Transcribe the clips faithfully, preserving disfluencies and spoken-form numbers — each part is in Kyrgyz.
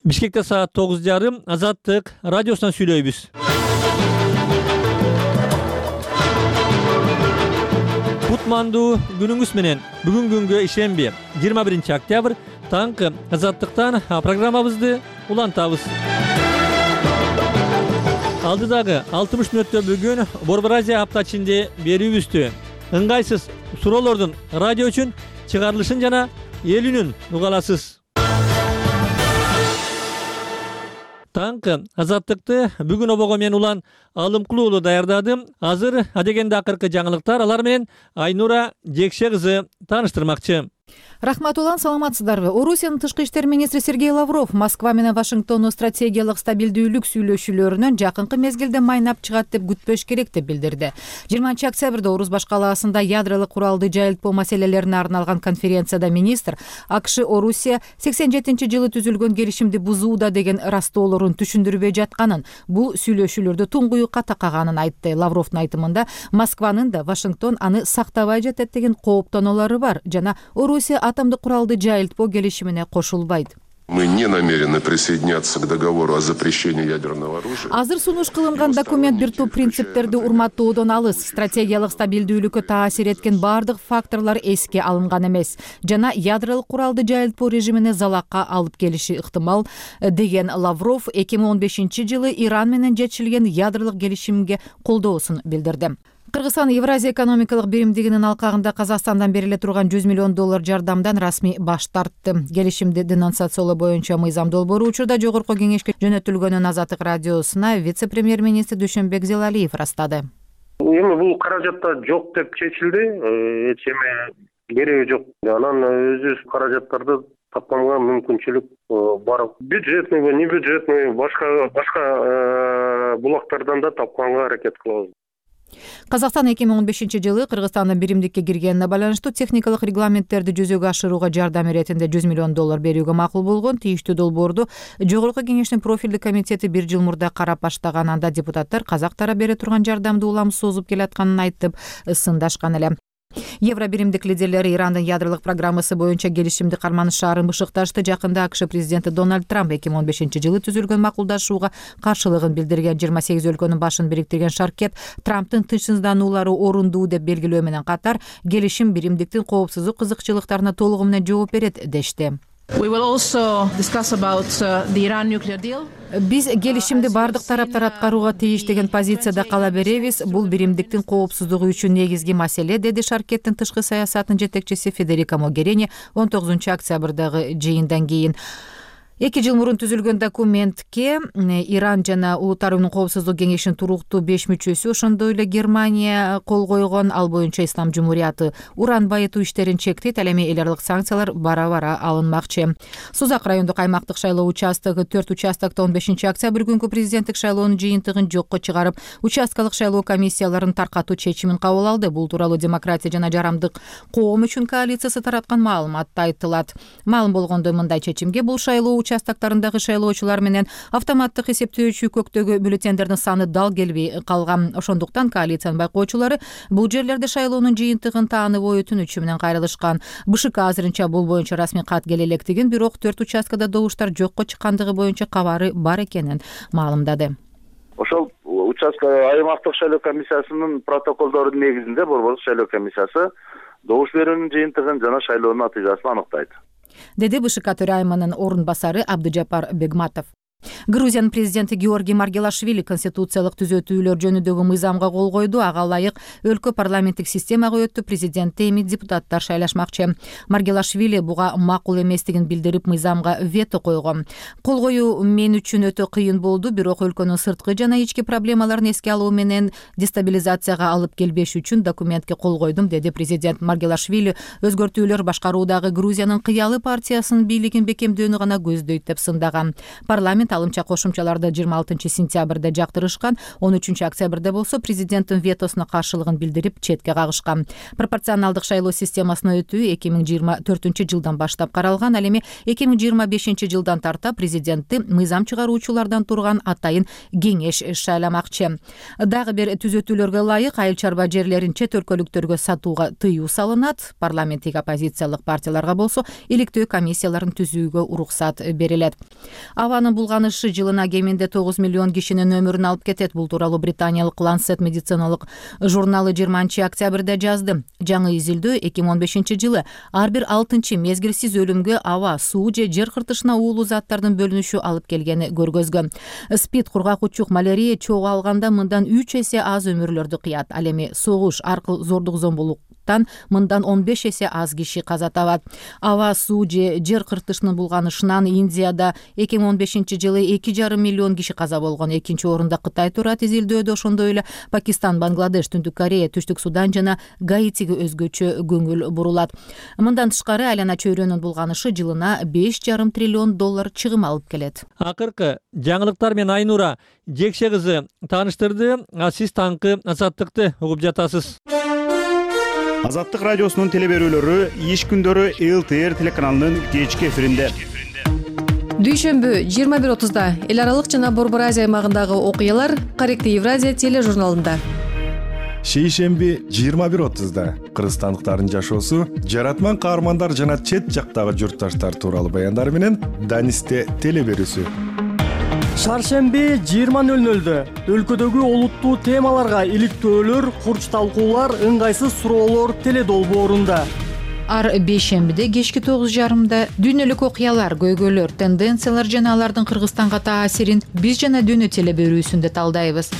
Бишкекте саат тогуз жарым Азаттык радиосунан сүйлөйбүз. Кутмандуу күнүңүз менен. Бүгүн күнгө ишемби жыйырма биринчи октябрь таңкы Азаттыктан программабызды улантабыз. Алдыдагы алтымыш мүнөттө бүгүн Борбор Азия апта ичинде берүүбүздү ыңгайсыз суроолордун радио үчүн чыгарылышын жана эл үнүн уга аласыз. Таңкы Азаттыкты бүгүн обого мен улан Алымкулуу уулу даярдадым. Азыр адегенде акыркы жаңылыктар, алар менен Айнура Жекше кызы тааныштырмакчы. Рахмат улан, саламатсыздарбы? Орусиянын тышкы иштер министри Сергей Лавров Москва менен Вашингтондун стратегиялык стабилдүүлүк сүйлөшүүлөрүнөн жакынкы мезгилде майнап чыгат деп күтпөш керек деп билдирди. жыйырманчы октябрда Орус баш калаасында ядролук куралды жайылтпоо маселелерине арналган конференцияда министр АКШ Орусия сексен жетинчи жылы түзүлгөн келишимди бузууда деген растоолорун түшүндүрбөй жатканын, бул сүйлөшүүлөрдө туңгуюкка такаганын айтты. Лавровдун айтымында Москванын да Вашингтон аны сактабай жатат деген кооптонулары бар жана Орусия атомдук куралды жайылтпоо келишимине кошулбайт. Мы не намерены присоединяться к договору о запрещении ядерного оружия. Азыр сунуш кылынган документ бир топ принциптерди урматтоодон алыс. Стратегиялык стабилдүүлүккө таасир эткен бардык факторлор эске алынган эмес жана ядролук куралды жайылтпоо режимине залакка алып келиши ыктымал деген Лавров эки миң он бешинчи жылы Иран менен жетишилген ядролук келишимге колдоосун билдирди. Кыргызстан Евразия экономикалык биримдигинин алкагында Казакстандан бериле турган жүз миллион доллар жардамдан расмий баш тартты. Келишимди денонсациялоо боюнча мыйзам долбоору учурда жогорку кеңешке жөнөтүлгөнүн Азаттык радиосуна вице-премьер-министр Дүйшөнбек Зелалиев ырастады. Эми бул каражатта жок деп чечилди, эч эме кереги жок. Анан өзүбүз каражаттарды тапканга мүмкүнчүлүк бар. Бюджетный, не бюджетный, башка башка булактардан да тапканга аракет кылабыз. Казакстан эки миң он бешинчи жылы Кыргызстандын биримдикке киргенине байланыштуу техникалык регламенттерди жүзөгө ашырууга жардам иретинде жүз миллион доллар берүүгө макул болгон. Тийиштүү долбоорду жогорку кеңештин профилдик комитети бир жыл мурда карап баштаган. Анда депутаттар казак тарап бере турган жардамды улам созуп келатканын айтып сындашкан эле. Евро биримдик лидерлери Ирандын ядролук программасы боюнча келишимди карманышаарын бышыкташты. Жакында АКШ президенти Дональд Трамп эки миң он бешинчи жылы түзүлгөн макулдашууга каршылыгын билдирген. жыйырма сегиз өлкөнүн башын бириктирген шаркет Трамптын тынчсыздануулары орундуу деп белгилөө менен катар келишим биримдиктин коопсуздук кызыкчылыктарына толугу менен жооп берет дешти. Биз келишимди бардык тараптар аткарууга тийиш деген позицияда кала беребиз. Бул биримдиктин коопсуздугу үчүн негизги маселе, деди шаркеттин тышкы саясатынын жетекчиси Федерика Могерини он тогузунчу октябрдагы жыйындан кийин. Эки жыл мурун түзүлгөн документке Иран жана Улуттар уюмунун коопсуздук кеңешинин туруктуу беш мүчөсү, ошондой эле Германия кол койгон. Ал боюнча Ислам Жумурияты уран байытуу иштерин чектейт. Ал эми эл аралык санкциялар бара-бара алынмакчы. Сузак райондук аймактык шайлоо участогу төрт участокто он бешинчи октябрь күнкү президенттик шайлоонун жыйынтыгын жокко чыгарып, участкалык шайлоо комиссияларын таркатуу чечимин кабыл алды. Бул тууралуу Демократия жана жарамдык коом үчүн коалициясы тараткан маалыматта айтылат. Маалым болгондой, мындай чечимге бул шайлоо участоктарындагы шайлоочулар менен автоматтык эсептөөчү көктөгү бюллетендердин саны дал келбей калган. Ошондуктан коалициянын байкоочулары бул жерлерде шайлоонун жыйынтыгын таанып ой өтүнүчү менен кайрылышкан. БШК азырынча бул боюнча расмий кат келе электигин, бирок төрт участкада добуштар жокко чыккандыгы боюнча кабары бар экенин маалымдады. Ошол участка аймактык шайлоо комиссиясынын протоколдорунун негизинде Борбордук шайлоо комиссиясы добуш берүүнүн жыйынтыгын жана шайлоонун натыйжасын аныктайт, деди БШК төрайымынын орун басары Абдыжапар Бегматов. Грузиянын президенти Георгий Маргелашвили конституциялык түзөтүүлөр жөнүндөгү мыйзамга кол койду. Ага ылайык өлкө парламенттик системага өтүп, президентти эми депутаттар шайлашмакчы. Маргелашвили буга макул эместигин билдирип, мыйзамга вето койгон. Кол коюу мен үчүн өтө кыйын болду, бирок өлкөнүн сырткы жана ички проблемаларын эске алуу менен дестабилизацияга алып келбеш үчүн документке кол койдум, деди президент. Маргелашвили өзгөртүүлөр башкаруудагы Грузиянын кыялы партиясынын бийлигин бекемдөөнү гана көздөйт деп сындаган. Парламент президент алымча кошумчаларды жыйырма алтынчы сентябрда жактырышкан. он үчүнчү октябрда болсо президенттин ветосуна каршылыгын билдирип четке кагышкан. Пропорционалдык шайлоо системасына өтүү эки миң жыйырма төртүнчү жылдан баштап каралган. Ал эми эки миң жыйырма бешинчи жылдан тарта президентти мыйзам чыгаруучулардан турган атайын кеңеш шайламакчы. Дагы бир түзөтүүлөргө ылайык айыл чарба жерлерин чет өлкөлүктөргө сатууга тыюу салынат. Парламенттик оппозициялык партияларга болсо иликтөө комиссияларын түзүүгө уруксат берилет. Абанын булганышы жылына кеминде тогуз миллион кишинин өмүрүн алып кетет. Бул тууралуу британиялык Lancet медициналык журналы жыйырманчы октябрда жазды. Жаңы изилдөө эки миң он бешинчи жылы ар бир алтынчы мезгилсиз өлүмгө аба, суу же жер кыртышына уулуу заттардын бөлүнүшү алып келгени көргөзгөн. СПИД, кургак учук, малярия чогуу алганда мындан үч эсе аз өмүрлөрдү кыят. Ал эми согуш, аркыл зордук зомбулуктан мындан он беш эсе аз киши каза табат. Аба, суу же жер кыртышынын булганышынан Индияда эки миң он бешинчи жылы эки жарым миллион киши каза болгон. Экинчи орунда Кытай турат изилдөөдө. Ошондой эле Пакистан, Бангладеш, Түндүк Корея, Түштүк Судан жана Гаитиге өзгөчө көңүл бурулат. Мындан тышкары айлана чөйрөнүн булганышы жылына беш жарым триллион доллар чыгым алып келет. Акыркы жаңылыктар менен Айнура Жекше кызы тааныштырды. Сиз таңкы Азаттыкты угуп жатасыз. Азаттык радиосунун телеберүүлөрү иш күндөрү эл тэ эр телеканалынын кечки эфиринде. Дүйшөмбү жыйырма бир отузда эл аралык жана Борбор Азия аймагындагы окуялар Корректив Евразия тележурналында. Шейшемби жыйырма бир отузда кыргызстандыктардын жашоосу, жаратман каармандар жана чет жактагы журтташтар тууралуу баяндар менен Данисте телеберүүсү. Шаршемби жыйырма нөл нөлдө өлкөдөгү олуттуу темаларга иликтөөлөр, курч талкуулар, ыңгайсыз суроолор теледолбоорунда. Ар бейшембиде кечки тогуз жарымда дүйнөлүк окуялар, көйгөйлөр, тенденциялар жана алардын Кыргызстанга таасирин биз жана дүйнө телеберүүсүндө талдайбыз.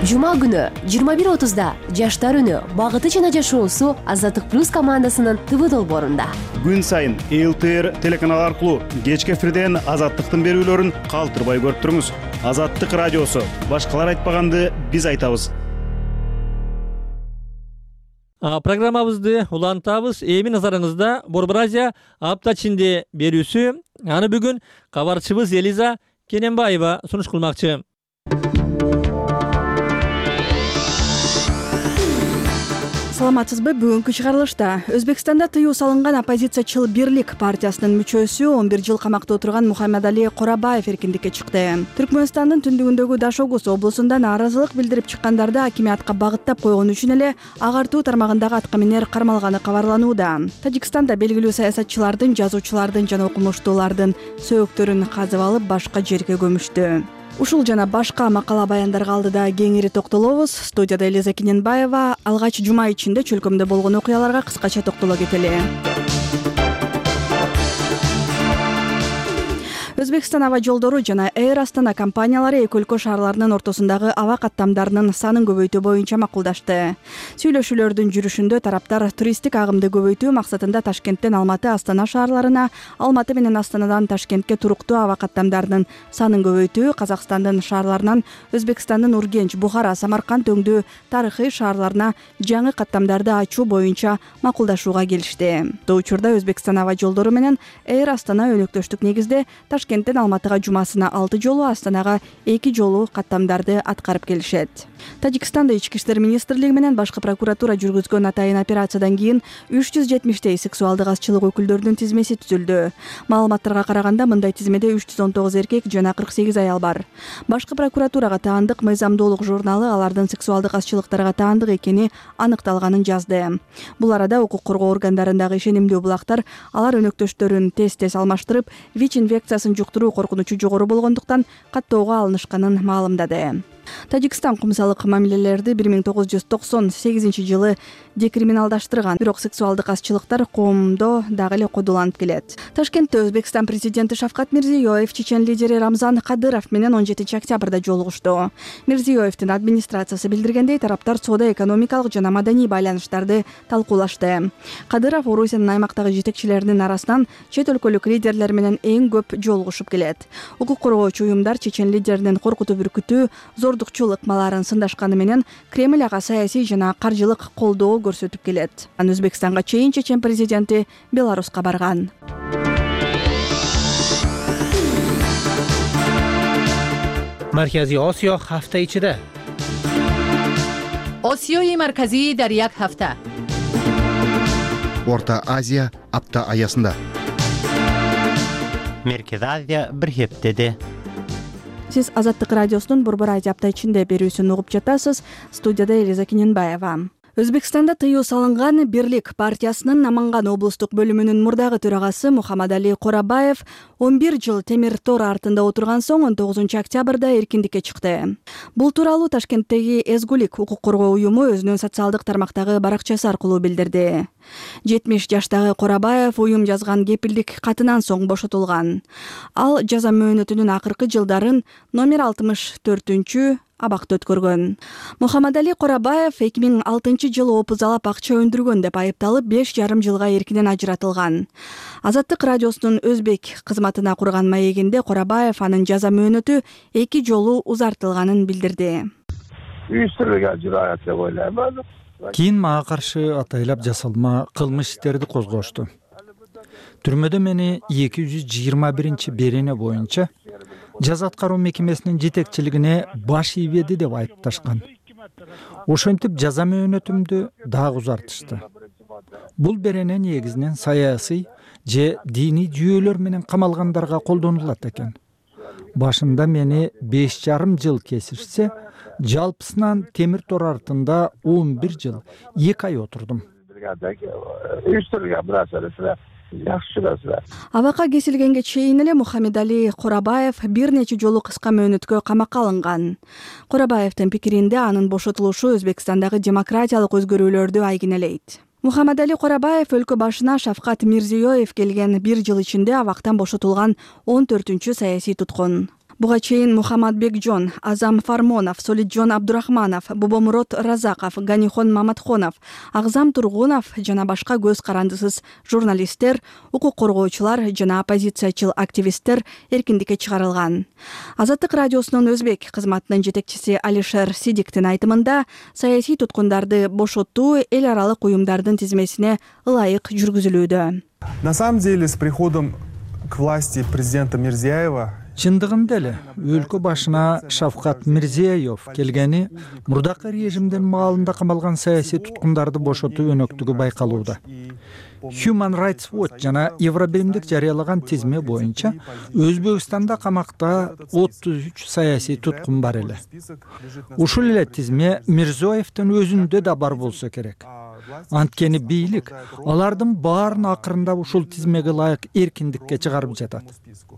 Жума күнү жыйырма бир отузда жаштар үнү, багыты жана жашоосу Азаттык плюс командасынын ТВ долбоорунда. Күн сайын эл тэ эр телеканалы аркылуу кечки эфирден Азаттыктын берүүлөрүн калтырбай көрүп туруңуз. Азаттык радиосу, башкалар айтпаганды биз айтабыз. Программабызды улантабыз. Эми назарыңызда Борбор Азия апта ичинде берүүсү. Аны бүгүн кабарчыбыз Элиза Кененбаева сунуш кылмакчы. Саламатсызбы? Бүгүнкү чыгарылышта Өзбекстанда тыюу салынган оппозициячыл Бирлик партиясынын мүчөсү он бир жыл камакта отурган Мухаммадали Корабаев эркиндикке чыкты. Түркмөнстандын түндүгүндөгү Дашогуз облусунда нааразылык билдирип чыккандарды акимиятка багыттап койгон үчүн эле агартуу тармагындагы аткаминер кармалганы кабарланууда. Тажикстанда белгилүү саясатчылардын, жазуучулардын жана окумуштуулардын сөөктөрүн казып алып башка жерге көмүштү. Ушул жана башка макала баяндарга алдыда кеңири токтолобуз. Студияда Элиза Кененбаева. Алгач жума ичинде чөлкөмдө болгон окуяларга кыскача токтоло кетели. Өзбекстан аба жолдору жана Air Astana компаниялары эки өлкө шаарларынын ортосундагы аба каттамдарынын санын көбөйтүү боюнча макулдашты. Сүйлөшүүлөрдүн жүрүшүндө тараптар туристтик агымды көбөйтүү максатында Ташкенттен Алматы, Астана шаарларына, Алматы менен Астанадан Ташкентке туруктуу аба каттамдарынын санын көбөйтүү, Казакстандын шаарларынан Өзбекстандын Ургенч, Бухара, Самарканд өңдүү тарыхый шаарларына жаңы каттамдарды ачуу боюнча макулдашууга келишти. Бул учурда Өзбекстан аба жолдору менен Air Astana өнөктөштүк негизде Ташкенттен Алматыга жумасына алты жолу, Астанага эки жолу каттамдарды аткарып келишет. Тажикстанда ички иштер министрлиги менен башкы прокуратура жүргүзгөн атайын операциядан кийин үч жүз жетимиштей сексуалдык азчылык өкүлдөрүнүн тизмеси түзүлдү. Маалыматтарга караганда мындай тизмеде үч жүз он тогуз эркек жана кырк сегиз аял бар. Башкы прокуратурага таандык Мыйзамдуулук журналы алардын сексуалдык азчылыктарга таандык экени аныкталганын жазды. Бул арада укук коргоо органдарындагы ишенимдүү булактар алар өнөктөштөрүн тез-тез алмаштырып, ВИЧ инфекциясын жуктуруу коркунучу жогору болгондуктан каттоого алынышканын маалымдады. Тажикстан кумсалык мамилелерди бир миң тогуз жүз токсон сегизинчи жылы декриминалдаштырган, бирок сексуалдык азчылыктар коомдо дагы эле кодуланып келет. Ташкентте Өзбекстан президенти Шавкат Мирзиёев чечен лидери Рамзан Кадыров менен он жетинчи октябрда жолугушту. Мирзиёевдин администрациясы билдиргендей, тараптар соода-экономикалык жана маданий байланыштарды талкуулашты. Кадыров Орусиянын аймактагы жетекчилеринин арасынан чет өлкөлүк лидерлер менен эң көп жолугушуп келет. Укук коргоочу уюмдар чечен лидеринин коркутуп-үркүтүү, зордукчул ыкмаларын сындашканы менен Кремль ага саясий жана каржылык колдоо көрсөтүп келет. Анан Өзбекстанга чейин чечен президенти Беларуска барган. Markaziy Osiyo hafta ichida. Osiyoyi markaziy дар як hafta. Орта Азия апта аясында. Merkezi Азия bir heftede. Сиз Азаттык радиосунун Борбор Азия апта ичинде берүүсүн угуп жатасыз. Студияда Элиза Кененбаева. Өзбекстанда тыюу салынган Бирлик партиясынын Наманган облустук бөлүмүнүн мурдагы төрагасы Мухаммадали Корабаев он бир жыл темир тор артында отурган соң он тогузунчу октябрда эркиндикке чыкты. Бул тууралуу Ташкенттеги Эзгулик укук коргоо уюму өзүнүн социалдык тармактагы баракчасы аркылуу билдирди. жетимиш жаштагы Корабаев уюм жазган кепилдик катынан соң бошотулган. Ал жаза мөөнөтүнүн акыркы жылдарын номер алтымыш төртүнчү абакта өткөргөн. Мухаммадали Корабаев эки миң алтынчы жылы опузалап акча өндүргөн деп айыпталып беш жарым жылга эркинен ажыратылган. Азаттык радиосунун өзбек кызматына курган маегинде Корабаев анын жаза мөөнөтү эки жолу узартылганын билдирди. Кийин мага каршы атайлап жасалма кылмыш иштерди козгошту. Түрмөдө мени эки жүз жыйырма биринчи берене боюнча жаза аткаруу мекемесинин жетекчилигине баш ийбеди деп айыпташкан. Ошентип жаза мөөнөтүмдү дагы узартышты. Бул берене негизинен саясий же диний жүйөлөр менен камалгандарга колдонулат экен. Башында мени беш жарым жыл кесишсе, жалпысынан темир тор артында он бир жыл эки ай отурдум. Абакка кесилгенге чейин эле Мухаммадали Корабаев бир нече жолу кыска мөөнөткө камакка алынган. Корабаевдин пикиринде анын бошотулушу Өзбекстандагы демократиялык өзгөрүүлөрдү айгинелейт. Мухаммадали Корабаев өлкө башына Шавкат Мирзиёев келген бир жыл ичинде абактан бошотулган он төртүнчү саясий туткун. Буга чейин Мухаммадбекжон, Азам Фармонов, Солитжон Абдурахманов, Бобомурод Разаков, Ганихон Маматхонов, Агзам Тургунов жана башка көз карандысыз журналисттер, укук коргоочулар жана оппозициячыл активисттер эркиндикке чыгарылган. Азаттык радиосунун өзбек кызматынын жетекчиси Алишер Сидиктин айтымында, саясий туткундарды бошотуу эл аралык уюмдардын тизмесине ылайык жүргүзүлүүдө. На самом деле, с приходом к власти президента Мирзиёева Чындыгында эле өлкө башына Шавкат Мирзиёев келгени мурдакы режимдин маалында камалган саясий туткундарды бошотуу өнөктүгү байкалууда. Human Rights Watch жана Евробиримдик жарыялаган тизме боюнча Өзбекстанда камакта отуз үч саясий туткун бар эле. Ушул эле тизме Мирзиёевдин өзүндө да бар болсо керек. Анткени бийлик алардын баарын акырында ушул тизмеге ылайык эркиндикке чыгарып жатат.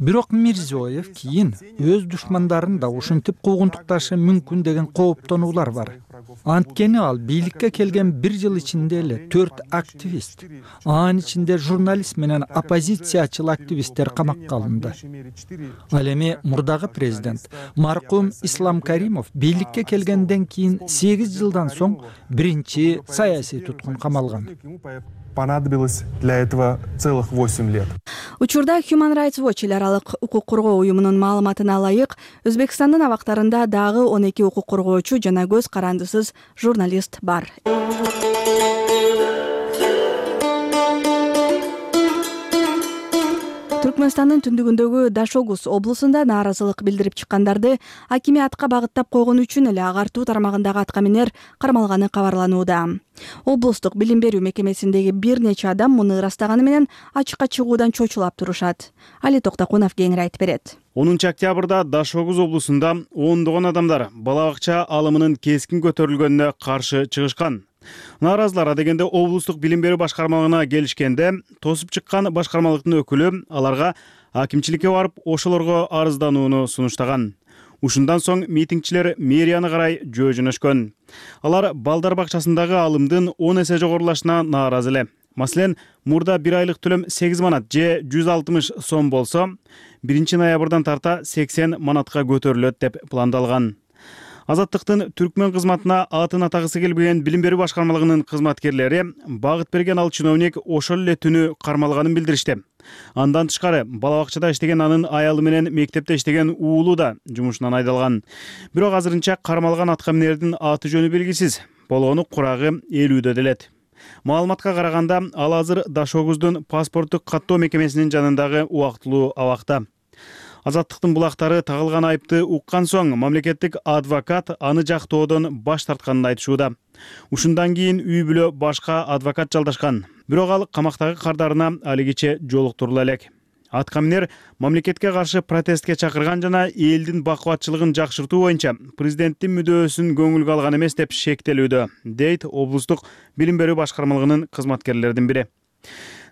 Бирок Мирзиёев кийин өз душмандарын да ушинтип куугунтукташы мүмкүн деген кооптонуулар бар. Анткени ал бийликке келген бир жыл ичинде эле төрт активист, анын ичинде журналист менен оппозициячыл активисттер камакка алынды. Ал эми мурдагы президент маркум Ислам Каримов бийликке келгенден кийин сегиз жылдан соң биринчи саясий туткун камалган. Понадобилось для этого целых восемь лет. Учурда Human Rights Watch эл аралык укук коргоо уюмунун маалыматына ылайык, Өзбекстандын абактарында дагы он эки укук коргоочу жана көз карандысыз журналист бар. Түркмөнстандын түндүгүндөгү Дашогуз облусунда нааразылык билдирип чыккандарды акимиатка багыттап койгон үчүн эле агартуу тармагындагы аткаминер кармалганы кабарланууда. Облустук билим берүү мекемесиндеги бир нече адам муну ырастаганы менен ачыкка чыгуудан чочулап турушат. Али Токтакунов кеңири айтып берет. онунчу октябрда Дашогуз облусунда ондогон адамдар бала бакча алымынын кескин көтөрүлгөнүнө каршы чыгышкан. Нааразылар дегенде облустук билим берүү башкармалыгына келишкенде, тосуп чыккан башкармалыктын өкүлү аларга акимчиликке барып ошолорго арызданууну сунуштаган. Ушундан соң митингчилер мэрияны карай жөө жөнөшкөн. Алар балдар бакчасындагы алымдын он эсе жогорулашына нааразы эле. Маселен, мурда бир айлык төлөм сегиз манат же жүз алтымыш сом болсо, биринчи ноябрдан тарта сексен манатка көтөрүлөт деп пландалган. Азаттыктын Түркмөн кызматына атын атагысы келбеген билим берүү башкармалыгынын кызматкерлери багыт берген ал чиновник ошол эле түнү кармалганын билдиришти. Андан тышкары бала бакчада иштеген анын аялы менен мектепте иштеген уулу да жумушунан айдалган. Бирок азырынча кармалган аткаминердин аты жөнү белгисиз. Болгону курагы элүүдө делет. Маалыматка караганда ал азыр Дашогуздун паспорттук каттоо мекемесинин жанындагы убактылуу абакта. Азаттыктын булактары тагылган айыпты уккан соң мамлекеттик адвокат аны жактоодон баш тартканын айтышууда. Ушундан кийин үй бүлө башка адвокат жалдашкан. Бирок ал камактагы кардарына алигиче жолуктурула элек. Аткаминер мамлекетке каршы протестке чакырган жана элдин бакубатчылыгын жакшыртуу боюнча президенттин мүдөөсүн көңүлгө алган эмес деп шектелүүдө, дейт облустук билим берүү башкармалыгынын кызматкерлеринин бири.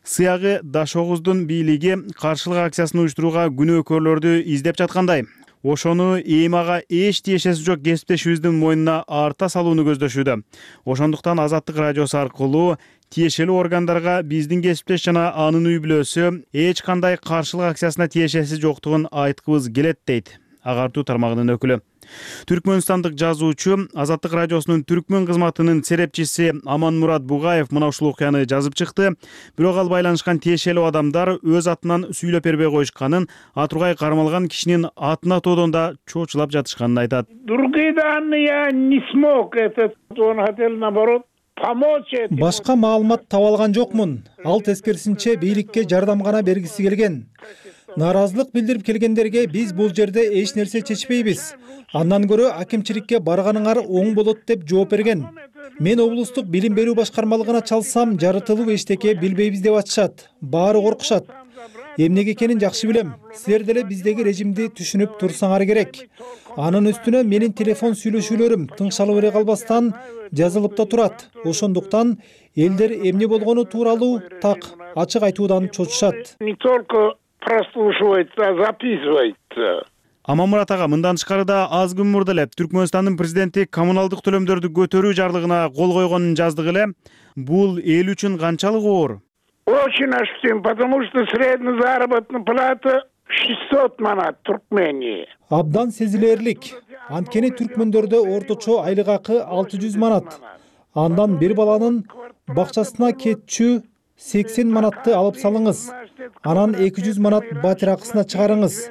Сыягы Дашогуздун бийлиги каршылык акциясын уюштурууга күнөөкөрлөрдү издеп жаткандай, ошону эми ага эч тиешеси жок кесиптешибиздин мойнуна арта салууну көздөшүүдө. Ошондуктан Азаттык радиосу аркылуу тиешелүү органдарга биздин кесиптеш жана анын үй бүлөсү эч кандай каршылык акциясына тиешеси жоктугун айткыбыз келет, дейт агартуу тармагынын өкүлү. Түркмөнстандык жазуучу, Азаттык радиосунун түркмөн кызматынын серепчиси Аманмурат Бугаев мына ушул окуяны жазып чыкты. Бирок ал байланышкан тиешелүү адамдар өз атынан сүйлөп бербей коюшканын, Атургай кармалган кишинин атын атоодон да чочулап жатышканын айтат. Другие данные я не смог, этот он хотел наоборот помочь. Башка маалымат таба алган жокмун. Ал тескерисинче бийликке жардам гана бергиси келген. Нааразылык билдирип келгендерге биз бул жерде эч нерсе чечпейбиз. Андан көрө акимчиликке барганыңар оң болот деп жооп берген. Мен облустук билим берүү башкармалыгына чалсам, жарытылуу эчтеке билбейбиз деп атышат. Баары коркушат. Эмнеге экенин жакшы билем. Силер деле биздеги режимди түшүнүп турсаңар керек. Анын үстүнө менин телефон сүйлөшүүлөрүм тыңшалып эре калбастан жазылып да турат. Ошондуктан элдер эмне болгону тууралуу так ачык айтуудан чочушат. Не только прослушивается, записывается. Аманмурат ага мындан тышкары да аз күн мурда эле Түркмөнстандын президенти коммуналдык төлөмдөрдү көтөрүү жарлыгына кол койгонун жаздык эле. Бул эл үчүн канчалык оор? Очень ощутим, потому что средняя заработная плата шестьсот манат в Туркмении. Абдан сезилерлик. Анткени түркмөндөрдө орточо айлык акы алты жүз манат. Андан бир баланын бакчасына кетчү сексен манатты алып салыңыз. Анан эки жүз манат батир акысына чыгарыңыз.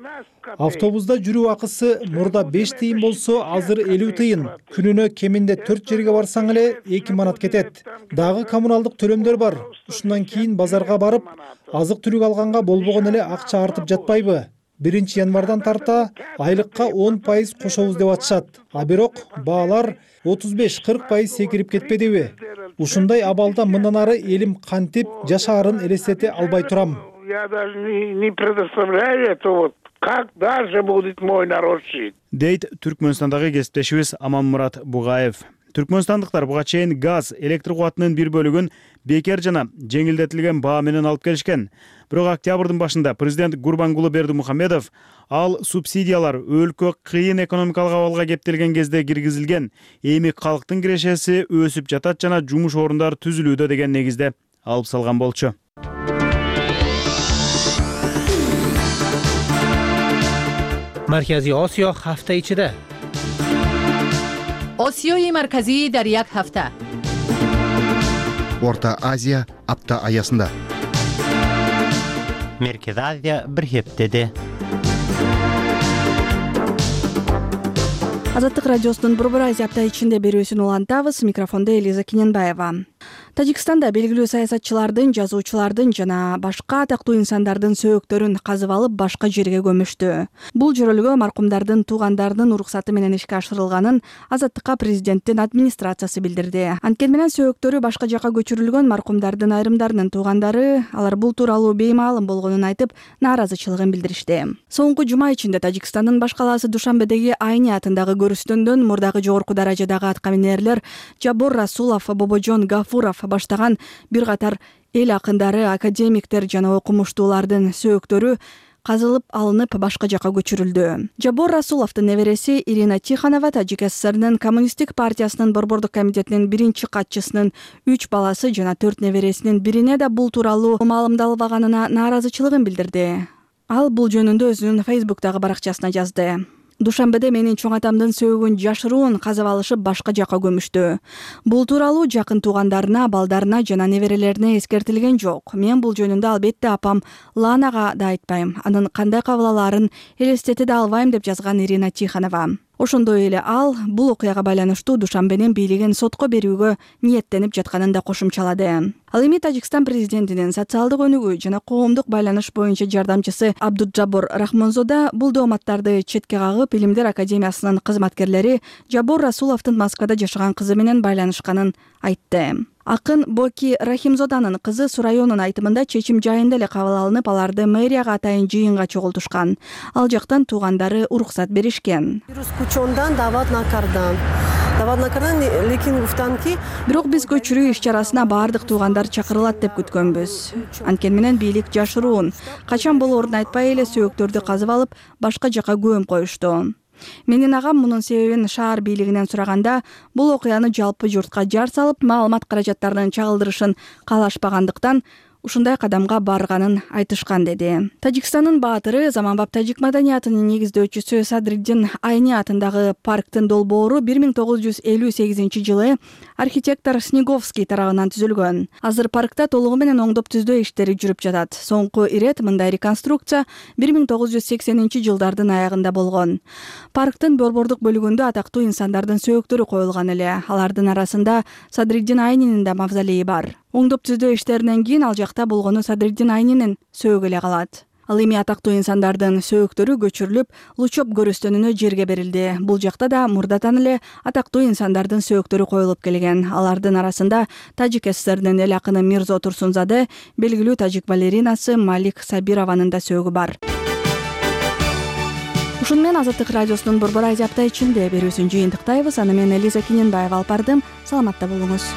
Автобуста жүрүү акысы мурда беш тыйын болсо, азыр элүү тыйын. Күнүнө кеминде төрт жерге барсаң эле эки манат кетет. Дагы коммуналдык төлөмдөр бар. Ушундан кийин базарга барып, азык түлүк алганга болбогон эле акча артып жатпайбы? биринчи январдан тарта айлыкка он пайыз кошобуз деп атышат. А бирок баалар отуз беш кырк пайыз секирип кетпедиби? Ушундай абалда мындан ары элим кантип жашаарын элестете албай турам. Я даже не, не предоставляю это вот. Как дальше будет мой народ жить? Дейт Түркмөнстандагы кесиптешибиз Аманмурат Бугаев. Түркмөнстандыктар буга чейин газ, электр кубатынын бир бөлүгүн бекер жана жеңилдетилген баа менен алып келишкен. Бирок октябрдын башында президент Гурбангулы Бердимухамедов ал субсидиялар өлкө кыйын экономикалык абалга кептелген кезде киргизилген, эми калктын кирешеси өсүп жатат жана жумуш орундары түзүлүүдө деген негизде алып салган болчу. Маркази Осиё ҳафта ичида. Осиёи марказӣ дар як ҳафта. Орта Азия апта аясында. Меркези Азия бир хептеде. Азаттык радиосунун Борбор Азия апта ичинде берүүсүн улантабыз. Микрофондо Элиза Кененбаева. Тажикстанда белгилүү саясатчылардын, жазуучулардын жана башка атактуу инсандардын сөөктөрүн казып алып башка жерге көмүштү. Бул жөрөлгө маркумдардын туугандарынын уруксаты менен ишке ашырылганын Азаттыкка президенттин администрациясы билдирди. Анткени менен сөөктөрү башка жакка көчүрүлгөн маркумдардын айрымдарынын туугандары алар бул тууралуу беймаалым болгонун айтып, нааразычылыгын билдиришти. Соңку жума ичинде Тажикстандын баш калаасы Душанбедеги Айни атындагы көрүстөндөн мурдагы жогорку даражадагы аткаминерлер Жабор Расулов, Бобожон Гафуров баштаган бир катар эл акындары, академиктер жана окумуштуулардын сөөктөрү казылып алынып башка жакка көчүрүлдү. Жабор Расуловдун небереси Ирина Тихонова Тажик ССРнын Коммунисттик партиясынын борбордук комитетинин биринчи катчысынын үч баласы жана төрт небересинин бирине да бул тууралуу маалымдалбаганына нааразычылыгын билдирди. Ал бул жөнүндө өзүнүн Фейсбуктагы баракчасына жазды. Душанбеде менин чоң атамдын сөөгүн жашыруун казып алышып башка жакка көмүштү. Бул тууралуу жакын туугандарына, балдарына жана неберелерине эскертилген жок. Мен бул жөнүндө албетте апам Ланага да айтпайм. Анын кандай кабыл алаарын элестете да албайм деп жазган Ирина Тихонова. Ошондой эле ал бул окуяга байланыштуу Душанбенин бийлигин сотко берүүгө ниеттенип жатканын да кошумчалады. Ал эми Тажикстан президентинин социалдык өнүгүү жана коомдук байланыш боюнча жардамчысы Абдуджабор Рахмонзода бул дооматтарды четке кагып, Илимдер академиясынын кызматкерлери Жабор Расуловдун Москвада жашаган кызы менен байланышканын айтты. Акын Боки Рахимзоданын кызы Сурайонун айтымында чечим жайында эле кабыл алынып, аларды мэрияга атайын жыйынга чогултушкан. Ал жактан туугандары уруксат беришкен. Бирок биз көчүрүү иш-чарасына баардык туугандар чакырылат деп күткөнбүз. Анткени менен бийлик жашыруун. Качан болоорун айтпай эле сөөктөрдү казып алып, башка жака көмүп коюшту. Менин агам мунун себебин шаар бийлигинен сураганда, бул окуяны жалпы журтка жар салып, маалымат каражаттарынын чагылдырышын каалашпагандыктан ушундай кадамга барганын айтышкан деди. Тажикстандын баатыры, заманбап тажик маданиятынын негиздөөчүсү Садриддин Айни атындагы парктын долбоору бир миң тогуз жүз элүү сегизинчи жылы архитектор Снеговский тарабынан түзүлгөн. Азыр паркта толугу менен оңдоп түздөө иштери жүрүп жатат. Соңку ирет мындай реконструкция бир миң тогуз жүз сексенинчи жылдардын аягында болгон. Парктын борбордук бөлүгүндө атактуу инсандардын сөөктөрү коюлган эле. Алардын арасында Садриддин Айнинин да мавзолейи бар. Оңдоп түздөө иштеринен кийин ал жакта болгону Садриддин Айнинин сөөгү эле калат. Ал эми атактуу инсандардын сөөктөрү көчүрүлүп, Лучоп көрүстөнүнө жерге берилди. Бул жакта да мурдатан эле атактуу инсандардын сөөктөрү коюлуп келген. Алардын арасында Тажик ССРнин эл акыны Мирзо Турсунзаде, белгилүү тажик балеринасы Малик Сабированын да сөөгү бар. Ушуну менен Азаттык радиосунун Борбор Азия апта ичинде берүүсүн жыйынтыктайбыз. Аны мен Элиза Киненбаева алып бардым. Саламатта болуңуз.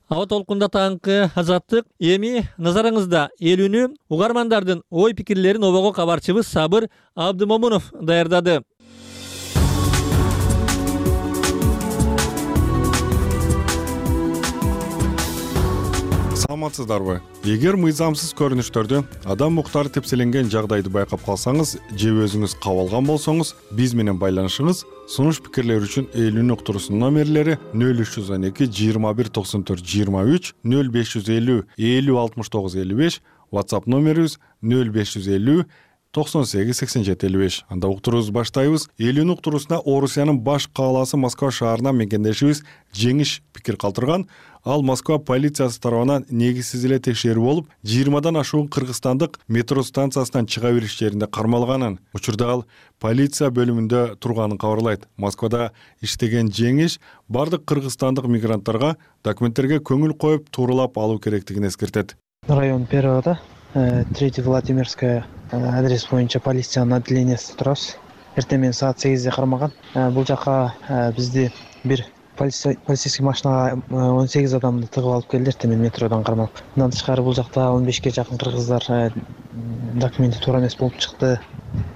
Аба толкунда таңкы Азаттык эми назарыңызда элүүнү угармандардын ой пикирлерин обого кабарчыбыз Сабыр Абдымомунов даярдады. Саламатсыздарбы? Эгер мыйзамсыз көрүнүштөрдү, адам муктары тепселенген жагдайды байкап калсаңыз же өзүңүз кабылган болсоңуз, биз менен байланышыңыз. Сунуш пикирлер үчүн элүүнүн уктуруусунун номерлери нөл үч жүз он эки жыйырма бир токсон төрт жыйырма үч, нөл беш жүз элүү элүү алтымыш тогуз элүү беш, WhatsApp номерибиз нөл беш жүз элүү токсон сегиз сексен жети элүү беш. Анда уктуруубузду баштайбыз. Элүүнүн уктуруусуна Орусиянын баш каалаасы Москва шаарына мекендешибиз Жеңиш пикир калтырган. Ал Москва полициясы тарабынан негизсиз эле текшерүү болуп, жыйырмадан ашуун кыргызстандык метро станциясынан чыга бериш жеринде кармалганын. Учурда ал полиция бөлүмүндө турганын кабарлайт. Москвада иштеген Жеңиш бардык кыргызстандык мигранттарга документтерге көңүл коюп, тууралап алуу керектигин эскертет. Район Первого, третья Владимирская, адрес боюнча полициянын отделениясында турабыз. Эртең менен саат сегизде кармаган. Бул жака бизди бир полицейский машинага он сегиз адамды тыгып алып келди, эртең менен метродон кармалып. Мындан тышкары бул жакта он бешке жакын кыргыздар документи туура эмес болуп чыкты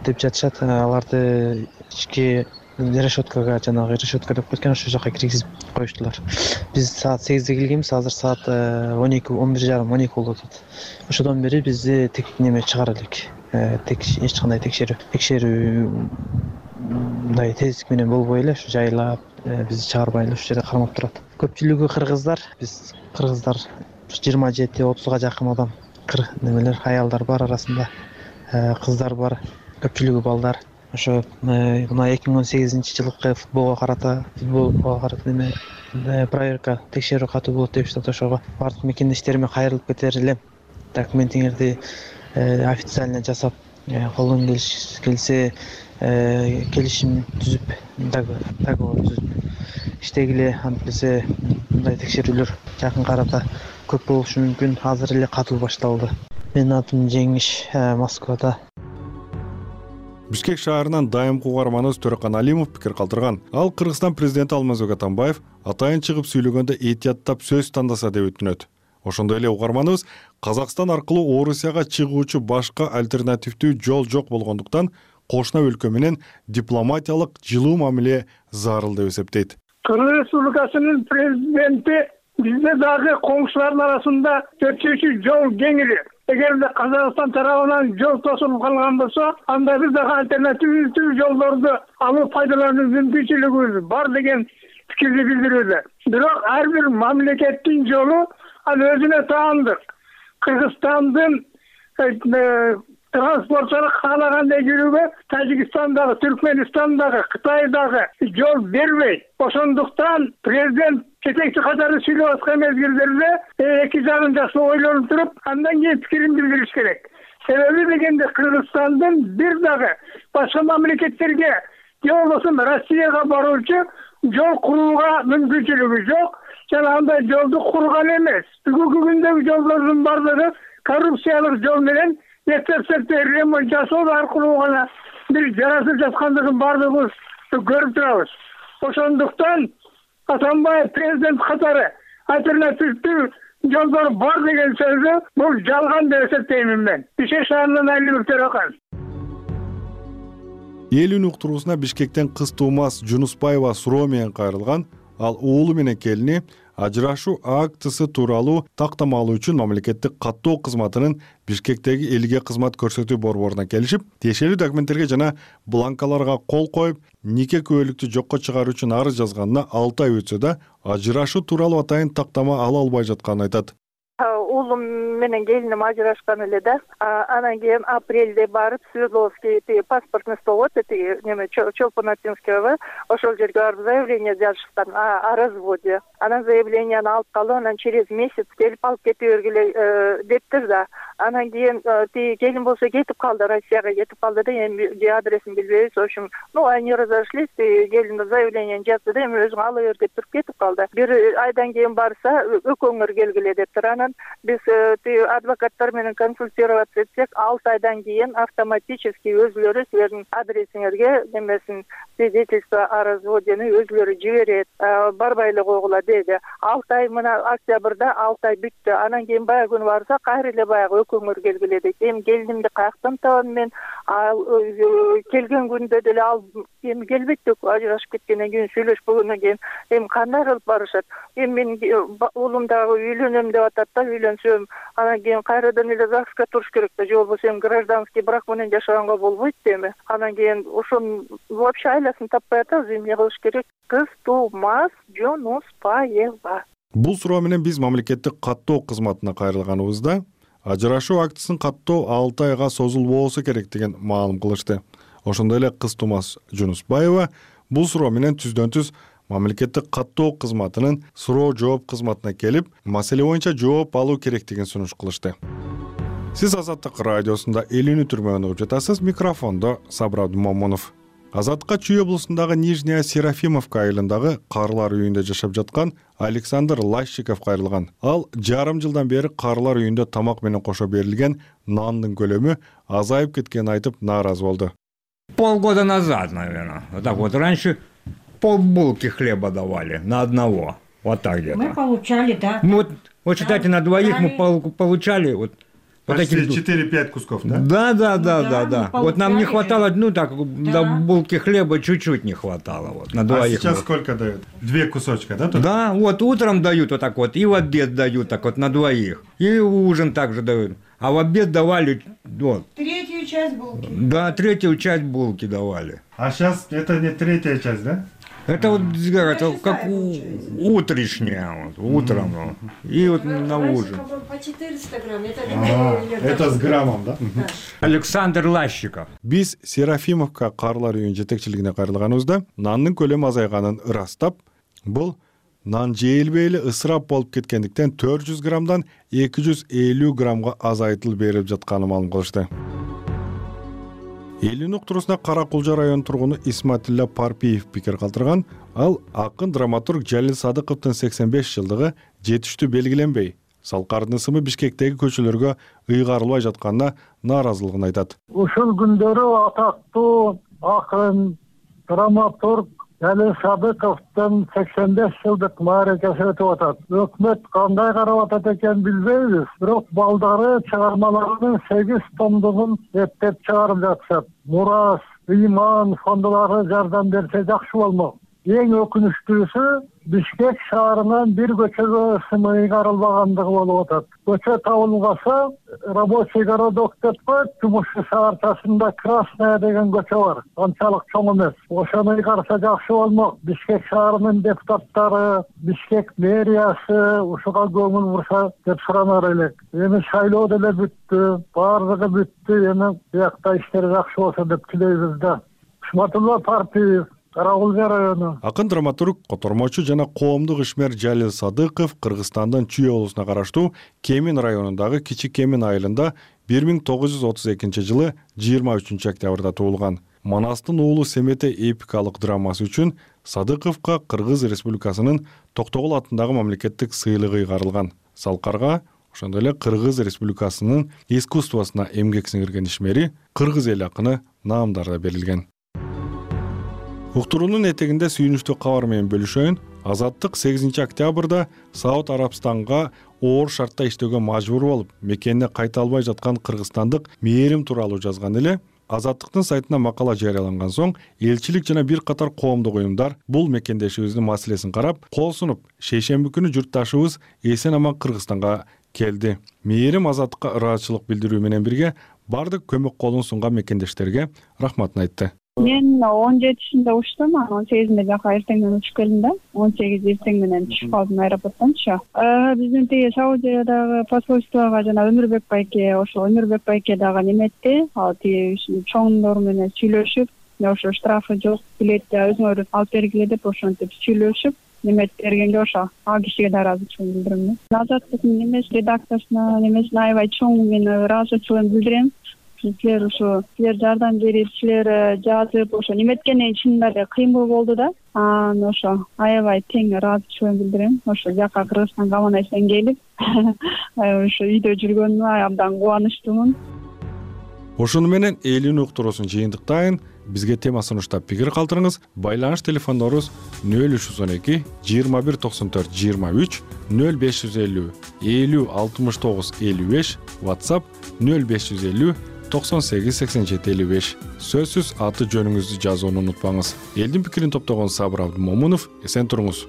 деп жатышат. Аларды ички решеткага, жанагы решетка деп кеткен, ошол жака киргизип коюштулар. Биз саат сегизде келгенбиз, азыр саат он эки он бир жарым он эки болуп атат. Ошодон бери бизди тек неме чыгара элек. Тек эч кандай текшерүү текшерүү мындай тездик менен болбой эле ушу жайлап бизди чыгарбай эле ушул жерде кармап турат. Көпчүлүгү кыргыздар, биз кыргыздар жыйырма жети отузга жакын адам, немелер, аялдар бар арасында, кыздар бар, көпчүлүгү балдар. Ошо мына эки миң он сегизинчи жылкы футболго карата, футболго карата неме проверка, текшерүү катуу болот деп атат. Ошого бардык мекендештериме кайрылып кетер элем. Документиңерди официально жасап, колдон келсе келишим түзүп, договор түзүп иштегиле. Антпесе мындай текшерүүлөр жакын арада көп болушу мүмкүн. Азыр эле катуу башталды. Менин атым Жеңиш, Москвада. Бишкек шаарынан дайымкы угарманыбыз Төрөкан Алимов пикир калтырган. Ал Кыргызстан президенти Алмазбек Атамбаев атайын чыгып сүйлөгөндө этияттап сөз тандаса деп өтүнөт. Ошондой эле угарманыбыз Казакстан аркылуу Орусияга чыгуучу башка альтернативдүү жол жок болгондуктан кошуна өлкө менен дипломатиялык жылуу мамиле зарыл деп эсептейт. Кыргыз Республикасынын президенти бизде дагы коңшулардын арасында өтүүчү жол кеңири. Эгерде Казакстан тарабынан жол тосулуп калган болсо, анда биз дагы альтернативдүү жолдорду алып пайдалануу мүмкүнчүлүгүбүз бар деген пикирди билдирүүдө. Бирок ар бир мамлекеттин жолу ал өзүнө таандык. Кыргызстандын транспортчулар каалагандай жүрүүгө Тажикстандагы, Түркмөнстандагы, Кытайдагы жол бербейт. Ошондуктан президент жетекчи катары сүйлөп аткан мезгилдерде эки жагын жакшы ойлонуп туруп, андан кийин пикирин билдириш керек. Себеби дегенде Кыргызстандын бир дагы башка мамлекеттерге же болбосо Россияга баруучу жол курууга мүмкүнчүлүгү жок жана андай жолду курган эмес. Бүгүнкү күндөгү жолдордун баардыгы коррупциялык жол менен эптеп-септеп ремонт жасоо аркылуу гана бир жарасып жаткандыгын баардыгыбыз көрүп турабыз. Ошондуктан Атамбаев президент катары альтернативдүү жолдор бар деген сөзү бул жалган деп эсептеймин мен. Бишкек шаарынан Алибек Төрөкан. Элүүнүн уктуруусуна Бишкектен кыз Туумас Жунуспаева суроо менен кайрылган. Ал уулу менен келини ажырашуу актысы тууралуу тактама алуу үчүн мамлекеттик каттоо кызматынын Бишкектеги элге кызмат көрсөтүү борборуна келишип, тиешелүү документтерге жана бланкаларга кол коюп, нике күбөлүктү жокко чыгаруу үчүн арыз жазганына алты ай өтсө да, ажырашуу тууралуу атайын тактама ала албай жатканын айтат. Уулум менен келиним ажырашкан эле да. Анан кийин апрелде барып Свердловский паспортный стол эти неме Чолпонатинского ошол жерге барып заявление жазышкан о разводе. Анан заявленияны алып калып, анан через месяц келип алып кете бергиле дептир да. Анан кийин тиги келин болсо кетип калды, Россияга кетип калды да, эми адресин билбейбиз. В общем, ну они разошлись, келин заявление жазды да, эми өзүң ала бер деп туруп кетип калды. Бир айдан кийин барса, өкөңөр келгиле дептир. Анан биз адвокаттар менен консультироваться этсек, алты айдан кийин автоматически өзүлөрү силердин адресиңерге немесин свидетельство о разводени өзүлөрү жиберет, барбай эле койгула деди. алты ай мына октябрда алты ай бүттү. Анан кийин баягы күнү барса, кайра эле баягы өкөңөр келгиле дейт. Эми келинимди каяктан табам мен? Келген күндө деле ал эми келбейт деп ажырашып кеткенден кийин сүйлөшпөгөндөн кийин эми кандай кылып барышат? Эми менин уулум дагы үйлөнөм деп атат да, үйлөнсөм, анан кийин кайрадан эле ЗАГСка туруш керек да, же болбосо эми гражданский брак менен жашаганга болбойт эми. Анан кийин ошону вообще айласын таппай атабыз, эмне кылыш керек? Кыз Туумас Жунуспаева. Бул суроо менен биз мамлекеттик каттоо кызматына кайрылганыбызда ажырашуу актысын каттоо алты айга созулбосо керек деген маалым кылышты. Ошондой эле кыз Туумас Жунуспаева бул суроо менен түздөн түз мамлекеттик каттоо кызматынын суроо жооп кызматына келип, маселе боюнча жооп алуу керектигин сунуш кылышты. Сиз Азаттык радиосунда элүүнү түрмөгүн угуп жатасыз. Микрофондо Сабыр Абдумомунов. Азаттыкка Чүй облусундагы Нижняя Серафимовка айылындагы каарылар үйүндө жашап жаткан Александр Лащиков кайрылган. Ал жарым жылдан бери каарылар үйүндө тамак менен кошо берилген нандын көлөмү азайып кеткенин айтып нааразы болду. Полгода назад, наверное. Вот так вот. Раньше полбулки хлеба давали на одного. Вот так где-то. Мы получали, да. Ну, вот, вот считайте, на двоих мы получали вот, вот почти четыре-пять кусков, да? Да, да, да, да, да. Вот нам не хватало, ну так, до булки хлеба чуть-чуть не хватало. Вот, на двоих. А сейчас сколько дают? Две кусочка, да? Только? Да, вот утром дают вот так вот, и в обед дают так вот на двоих. И ужин также дают. А в обед давали вот. Третью часть булки. Да, третью часть булки давали. А сейчас это не третья часть, да? Это вот это как у, утрешняя, вот, утром. Mm-hmm. И вот на ужин. По четыреста грамм. Это, а, это с граммом, да? Да. Александр Лащиков. Биз Серафимовка каарылар үйүнүн жетекчилигине кайрылганыбызда нандын көлөмү азайганын ырастап, бул нан жейилбей эле ысырап болуп кеткендиктен төрт жүз граммдан эки жүз элүү граммга азайтылып берип жатканын маалым кылышты. Элүүнүн уктуруусуна Кара Кулжа районунун тургуну Исматилла Парпиев пикир калтырган. Ал акын драматург Жалил Садыковдун сексен беш жылдыгы жетиштүү белгиленбей, салкардын ысымы Бишкектеги көчөлөргө ыйгарылбай жатканына нааразылыгын айтат. Ушул күндөрү атактуу акын драматург Жалил Садыковдун сексен беш жылдык мааракеси өтүп атат. Өкмөт кандай карап атат экен билбейбиз, бирок балдары чыгармаларынын сегиз томдугун эптеп чыгарып жатышат. Мурас, ыйман фондулары жардам берсе жакшы болмок. Эң өкүнүчтүүсү Бишкек шаарынан бир көчөгө СМИ каралбагандыгы болуп атат. Көчө табылгаса, рабочий городок деп коет, жумушчу шаарчасында Красная деген көчө бар. Анчалык чоң эмес. Ошону караса жакшы болмок. Бишкек шаарынын депутаттары, Бишкек мэриясы ушуга көңүл бурса деп суранар элек. Эми шайлоо деле бүттү, баардыгы бүттү. Эми биякта иштер жакшы болсо деп тилейбиз да. Ишматулла Партиев, Карагулга району. Акын драматург, котормочу жана коомдук ишмер Жалил Садыков Кыргызстандын Чүй облусуна караштуу Кемин районундагы Кичи Кемин айылында бир миң тогуз жүз отуз экинчи жылы жыйырма үчүнчү октябрда туулган. Манастын уулу Семете эпикалык драмасы үчүн Садыковго Кыргыз Республикасынын Токтогул атындагы мамлекеттик сыйлыгы ыйгарылган. Салкарга ошондой эле Кыргыз Республикасынын искусствосуна эмгек сиңирген ишмери Кыргыз эл акыны наамдары да берилген. Уктуруунун этегинде сүйүнүчтүү кабар менен бөлүшөйүн. Азаттык сегизинчи октябрда Сауд Арабстанга оор шартта иштөөгө мажбур болуп, мекенине кайта албай жаткан кыргызстандык Мээрим тууралуу жазган эле. Азаттыктын сайтына макала жарыяланган соң, элчилик жана бир катар коомдук уюмдар бул мекендешибиздин маселесин карап, кол сунуп, шейшемби күнү журтташыбыз эсен аман Кыргызстанга келди. Мээрим азаттыкка ыраазычылык билдирүү менен бирге бардык көмөк колун сунган мекендештерге рахматын айтты. Мен он жетисинде учтум, он сегизинде жака эртең менен учуп келдим да. он сегиз эртең менен түшүп калдым аэропорттончу. Биздин тиги Саудиядагы посольствого жана Өмүрбек байке, ошо Өмүрбек байке дагы неметти. Ал тиги чоңдор менен сүйлөшүп, ошо штрафы жок, билетти өзүңөр алып бергиле деп ошентип сүйлөшүп, немет бергенге ошо ал кишиге да ыраазычылык билдирем. Азаттыктын немес редакциясына, немесине аябай чоң мен ыраазычылык билдирем. Силер ошо силер жардам берип, силер жазып, ошо неметкенден чынында эле кыймыл болду да. Анан ошо аябай тең ыраазычылык билдирем. Ошо жака Кыргызстанга аман эсен келип, ошо үйдө жүргөнүмө абдан кубанычтуумун. Ошону менен элүүнү уктуруусун жыйынтыктайын. Бизге тема сунуштап пикир калтырыңыз. Байланыш телефондорубуз нөл үч жүз он эки жыйырма бир токсон төрт жыйырма үч, нөл беш жүз элүү элүү алтымыш тогуз элүү беш, WhatsApp нөл беш жүз элүү токсон сегиз сексен жети элүү беш. Сөзсүз аты жөнүңүздү жазууну унутпаңыз. Элдин пикирин топтогон Сабыр Абдымомунов, эсен туруңуз.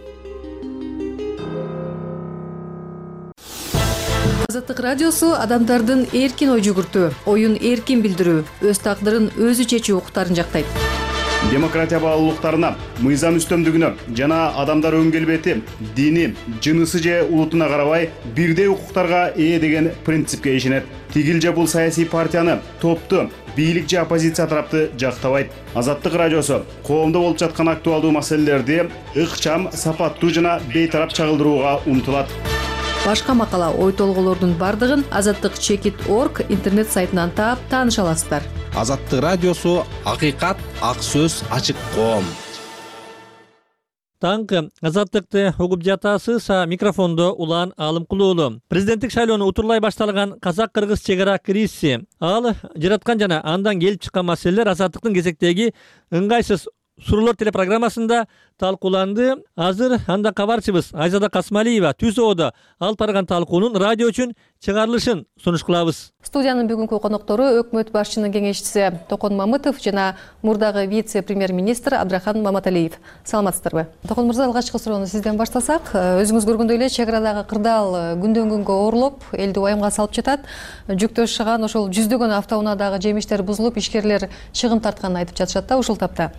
Азаттык радиосу адамдардын эркин ой жүгүртүү, оюн эркин билдирүү, өз тагдырын өзү чечүү укуктарын жактайт. Демократия баалуулуктарына, мыйзам үстөмдүгүнө жана адамдар өң келбети, дини, жынысы же улутуна карабай бирдей укуктарга ээ деген принципке ишенет. Тигил же бул саясий партияны, топту, бийлик же оппозиция тарапты жактабайт. Азаттык радиосу коомдо болуп жаткан актуалдуу маселелерди ыкчам, сапаттуу жана бейтарап чагылдырууга умтулат. Башка макала, ой толголордун бардыгын азаттык чекит точка орг интернет сайтынан таап тааныша аласыздар. Азаттык радиосу акыйкат, ак сөз, ачык коом. Таңкы азаттыкты угуп жатасыз. Микрофондо Улан Алымкулуулу. Президенттик шайлоону утурлай башталган казак-кыргыз чек ара кризиси. Ал жараткан жана андан келип чыккан маселелер азаттыктын кезектеги ыңгайсыз суроолор телепрограммасында талкууланды. Азыр анда кабарчыбыз Айзада Касмалиева түз оодо алып барган талкуунун радио үчүн чыгарылышын сунуш кылабыз. Студиянын бүгүнкү коноктору өкмөт башчынын кеңешчиси Токон Мамытов жана мурдагы вице-премьер-министр Абдрахан Маматалиев. Саламатсыздарбы? Токон мырза, алгачкы суроону сизден баштасак, өзүңүз көргөндөй эле чек арадагы кырдаал күндөн күнгө оорлоп, элди уямга салып жатат. Жүктөө шыган ошол жүздөгөн автоунаадагы жемиштер бузулуп, ишкерлер чыгым тартканын айтып жатышат да ушул тапта.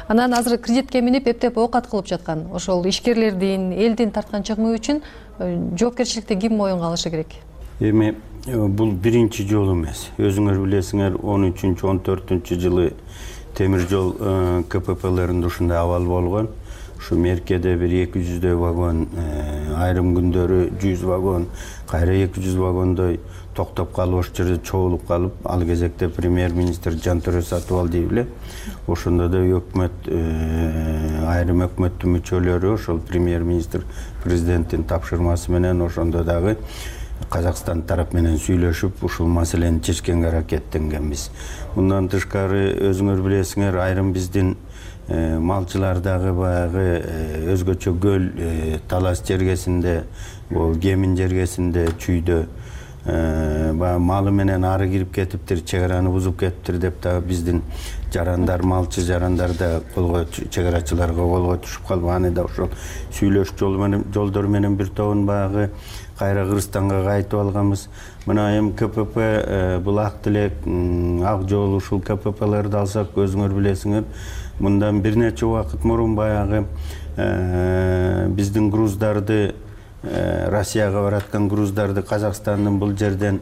Анан азыр кредитке минип эптеп оокат кылып жаткан. Ошол ишкерлердин, элдин тарткан чыгымы үчүн жоопкерчиликти ким моюнга алышы керек? Эми бул биринчи жолу эмес. Өзүңөр билесиңер, он үчүнчү он төртүнчү жылы темир жол КППлеринде ушундай абал болгон. Ушу меркеде бир эки жүздөй вагон, айрым күндөрү жүз вагон, кайра эки жүз вагондой токтоп калып, ошол жерде чогулуп калып, ал кезекте премьер-министр Жантөрө Сатыбалдиев эле ошондо да өкмөт, айрым өкмөттүн мүчөлөрү ошол премьер-министр президенттин тапшырмасы менен ошондо дагы Казакстан тарап менен сүйлөшүп, ушул маселени чечкенге аракеттенгенбиз. Мындан тышкары өзүңөр билесиңер, айрым биздин малчылардагы баягы өзгөчө көл талас жергесинде, бул Кемин жергесинде, Чүйдө баягы малы менен ары кирип кетиптир, чек араны бузуп кетиптир деп да биздин жарандар, малчы жарандар да колго чек арачыларга колго түшүп калып, аны да ошол сүйлөш жолдор менен бир тобун баягы кайра Кыргызстанга кайтып алганбыз. Мына эми ка пэ пэ бул Ак Тилек, Ак Жол, ушул ка пэ пэлерди алсак, өзүңөр билесиңер, мындан бир нече убакыт мурун баягы биздин груздарды, Россияга бараткан груздарды Казакстандын бул жерден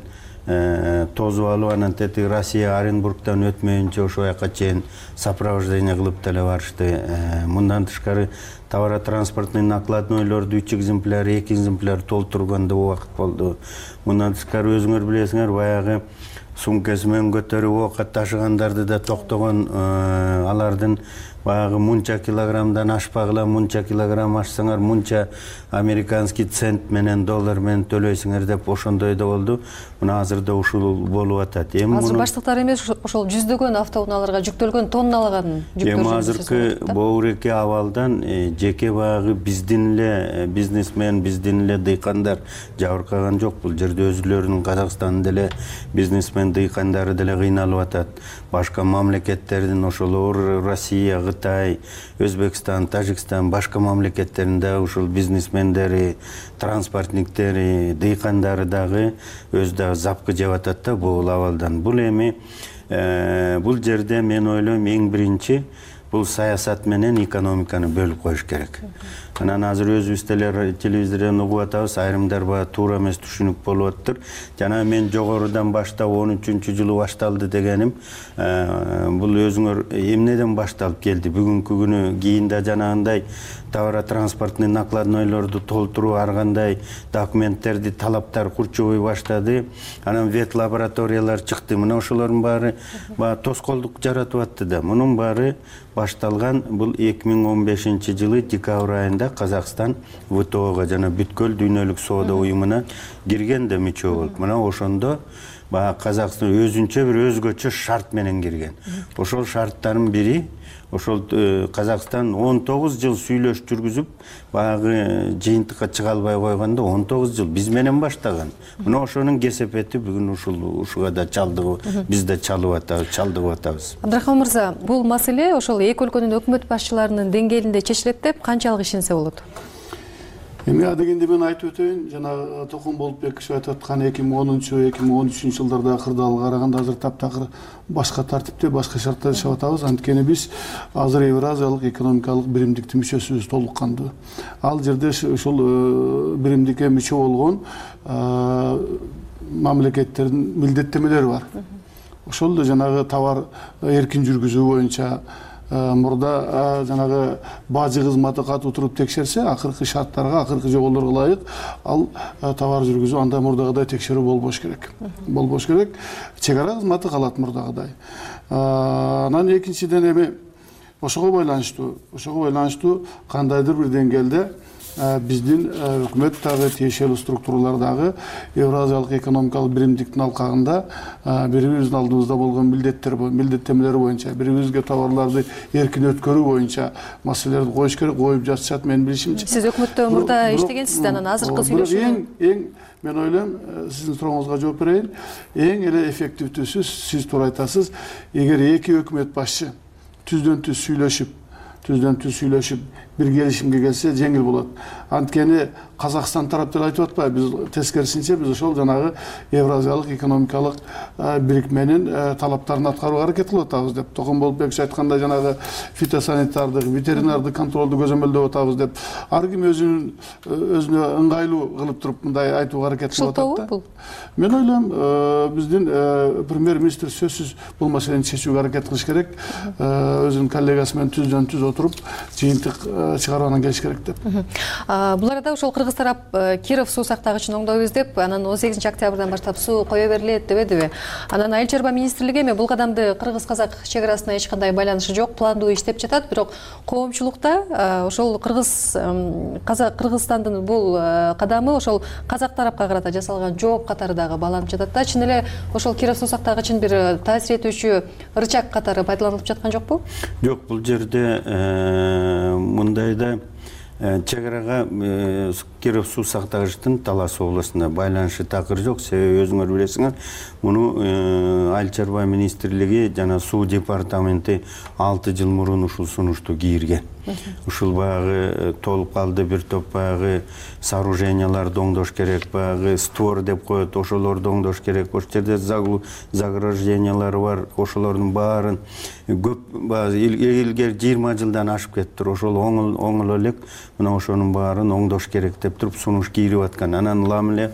тозуп алып, анан тетиги Россия Оренбургтан өтмөйүнчө ошол жака чейин сопровождение кылып деле барышты. Мындан тышкары товаротранспортный накладнойлорду үч экземпляр, эки экземпляр толтурганда убакыт болду. Мындан тышкары өзүңөр билесиңер, баягы сумкасы менен көтөрүп оокат ташыгандарды да токтогон, алардын баягы мунча килограммдан ашпагыла, мунча килограмм ашсаңар мунча американский цент менен, доллар менен төлөйсүңөр деп ошондой да болду. Мына азырда ушул болуп атат. Эми азыр баштыктар эмес, ошол жүздөгөн автоунааларга жүктөлгөн, тонналаган жүктөр. Эми азыркы боуреке абалдан жеке баягы биздин эле бизнесмен, биздин эле дыйкандар жабыркаган жок. Бул жерде өзүлөрүнүн Казакстандын деле бизнесмен дыйкандары деле кыйналып атат. Башка мамлекеттердин ошол Россия, Кытай, Өзбекстан, Тажикстан, башка мамлекеттеринде ушул бизнесмендери, транспортниктери, дыйкандары дагы өз дагы запкы жеп атат да бул абалдан. Бул эми бул жерде мен ойлойм эң биринчи бул саясат менен экономиканы бөлүп коюш керек. Анан азыр өзүбүз телевизордон угуп атабыз, айрымдар баа туура эмес түшүнүк болуп атыптыр. Жана мен жогорудан баштап он үчүнчү жылы башталды дегеним, бул өзүңөр эмнеден башталып келди? Бүгүнкү күнү кийин да жанагындай товаротранспортный накладнойлорду толтуруу, ар кандай документтерди талаптар курчубай баштады. Анан вет лабораториялар чыкты. Мына ошолордун баары баа тоскоолдук жаратып атты да. Мунун баары башталган бул эки миң он бешинчи жылы декабрь айында Казакстан вэ тэ о'га жана бүткүл дүйнөлүк соода уюмуна кирген да мүчө болуп. Мына ошондо баягы Казакстан өзүнчө бир өзгөчө шарт менен кирген. Ошол шарттардын бири ошол Казакстан он тогуз жыл сүйлөш жүргүзүп, баягы жыйынтыкка чыга албай койгондо он тогуз жыл биз менен баштаган. Мына ошонун кесепети бүгүн ушул ушуга да чалдыгып, биз да чалып атабыз, чалдыгып атабыз. Абдрахман мырза, бул маселе ошол эки өлкөнүн өкмөт башчыларынын деңгээлинде чечилет деп канчалык ишенсе болот? Эми адегенде мен айтып өтөйүн, жана Токон Болотбекович айтып аткан эки миң онунчу эки миң он үчүнчү жылдарда кырдаалга караганда азыр таптакыр башка тартипте, башка шартта жашап атабыз. Анткени биз азыр Евразиялык экономикалык биримдиктин мүчөсүбүз толук кандуу. Ал жерде ушул биримдикке мүчө болгон мамлекеттердин милдеттемелери бар. Ошол да жанагы товар эркин жүргүзүү боюнча мурда жанагы бажы кызматы катуу туруп текшерсе, акыркы шарттарга, акыркы жоболорго ылайык ал товар жүргүзүү анда мурдагыдай текшерүү болбош керек. Болбош керек. Чек ара кызматы калат мурдагыдай. Анан экинчиден эми ошого байланыштуу, ошого байланыштуу кандайдыр бир деңгээлде биздин өкмөт дагы тиешелүү структуралар дагы Евразиялык экономикалык биримдиктин алкагында бирибиздин алдыбызда болгон милдеттер, милдеттемелер боюнча, бирибизге товарларды эркин өткөрүү боюнча маселелерди коюш керек, коюп жатышат менин билишимче. Сиз өкмөттө мурда иштегенсиз да, анан азыркы сүйлөшүү. Эң эң мен ойлойм, сиздин сурооңузга жооп берейин. Эң эле эффективдүүсү, сиз туура айтасыз, эгер эки өкмөт башчы түздөн түз сүйлөшүп, түздөн түз сүйлөшүп бир келишимге келсе жеңил болот. Анткени Казакстан тарап деле айтып атпайбы, биз тескерисинче биз ошол жанагы Евразиялык экономикалык бирикменин талаптарын аткарууга аракет кылып атабыз деп. Токон Болотбекович айткандай жанагы фитосанитардык, ветеринардык контролду көзөмөлдөп атабыз деп. Ар ким өзүнүн өзүнө ыңгайлуу кылып туруп мындай айтууга аракет кылып атат да. Мен ойлойм, биздин премьер-министр сөзсүз бул маселени чечүүгө аракет кылыш керек. Өзүнүн коллегасы менен түздөн түз отуруп жыйынтык чыгарууна келиш керек деп. Бул арада ошол кыргыз тарап Киров суу сактагычын оңдойбуз деп, анан он сегизинчи октябрдан баштап суу кое берилет дебедиби? Анан Айыл чарба министрлиги эми бул кадамды кыргыз-казак чек арасына эч кандай байланышы жок, пландуу иштеп жатат, бирок коомчулукта ошол кыргыз Кыргызстандын бул кадамы ошол казак тарапка карата жасалган жооп катары дагы бааланып жатат да. Чын эле ошол Киров суу сактагычын бир таасир этүүчү рычаг катары пайдаланылып жаткан жокпу? Жок, бул жерде мындайда чек арага Киров суу сактагычтын Талас областында байланышы такыр жок. Себеби өзүңөр билесиңер, муну Айыл чарба министрлиги жана суу департаменти алты жыл мурун ушул сунушту кийирген. Ушул баягы толуп калды, бир топ баягы сооруженияларды оңдош керек, баягы створ деп коет, ошолорду оңдош керек. Ошол жерде заграждениялары бар, ошолордун баарын көп илгери жыйырма жылдан ашып кетиптир. Ошол оңоло элек, мына ошонун баарын оңдош керек деп туруп сунуш кийирип аткан. Анан улам эле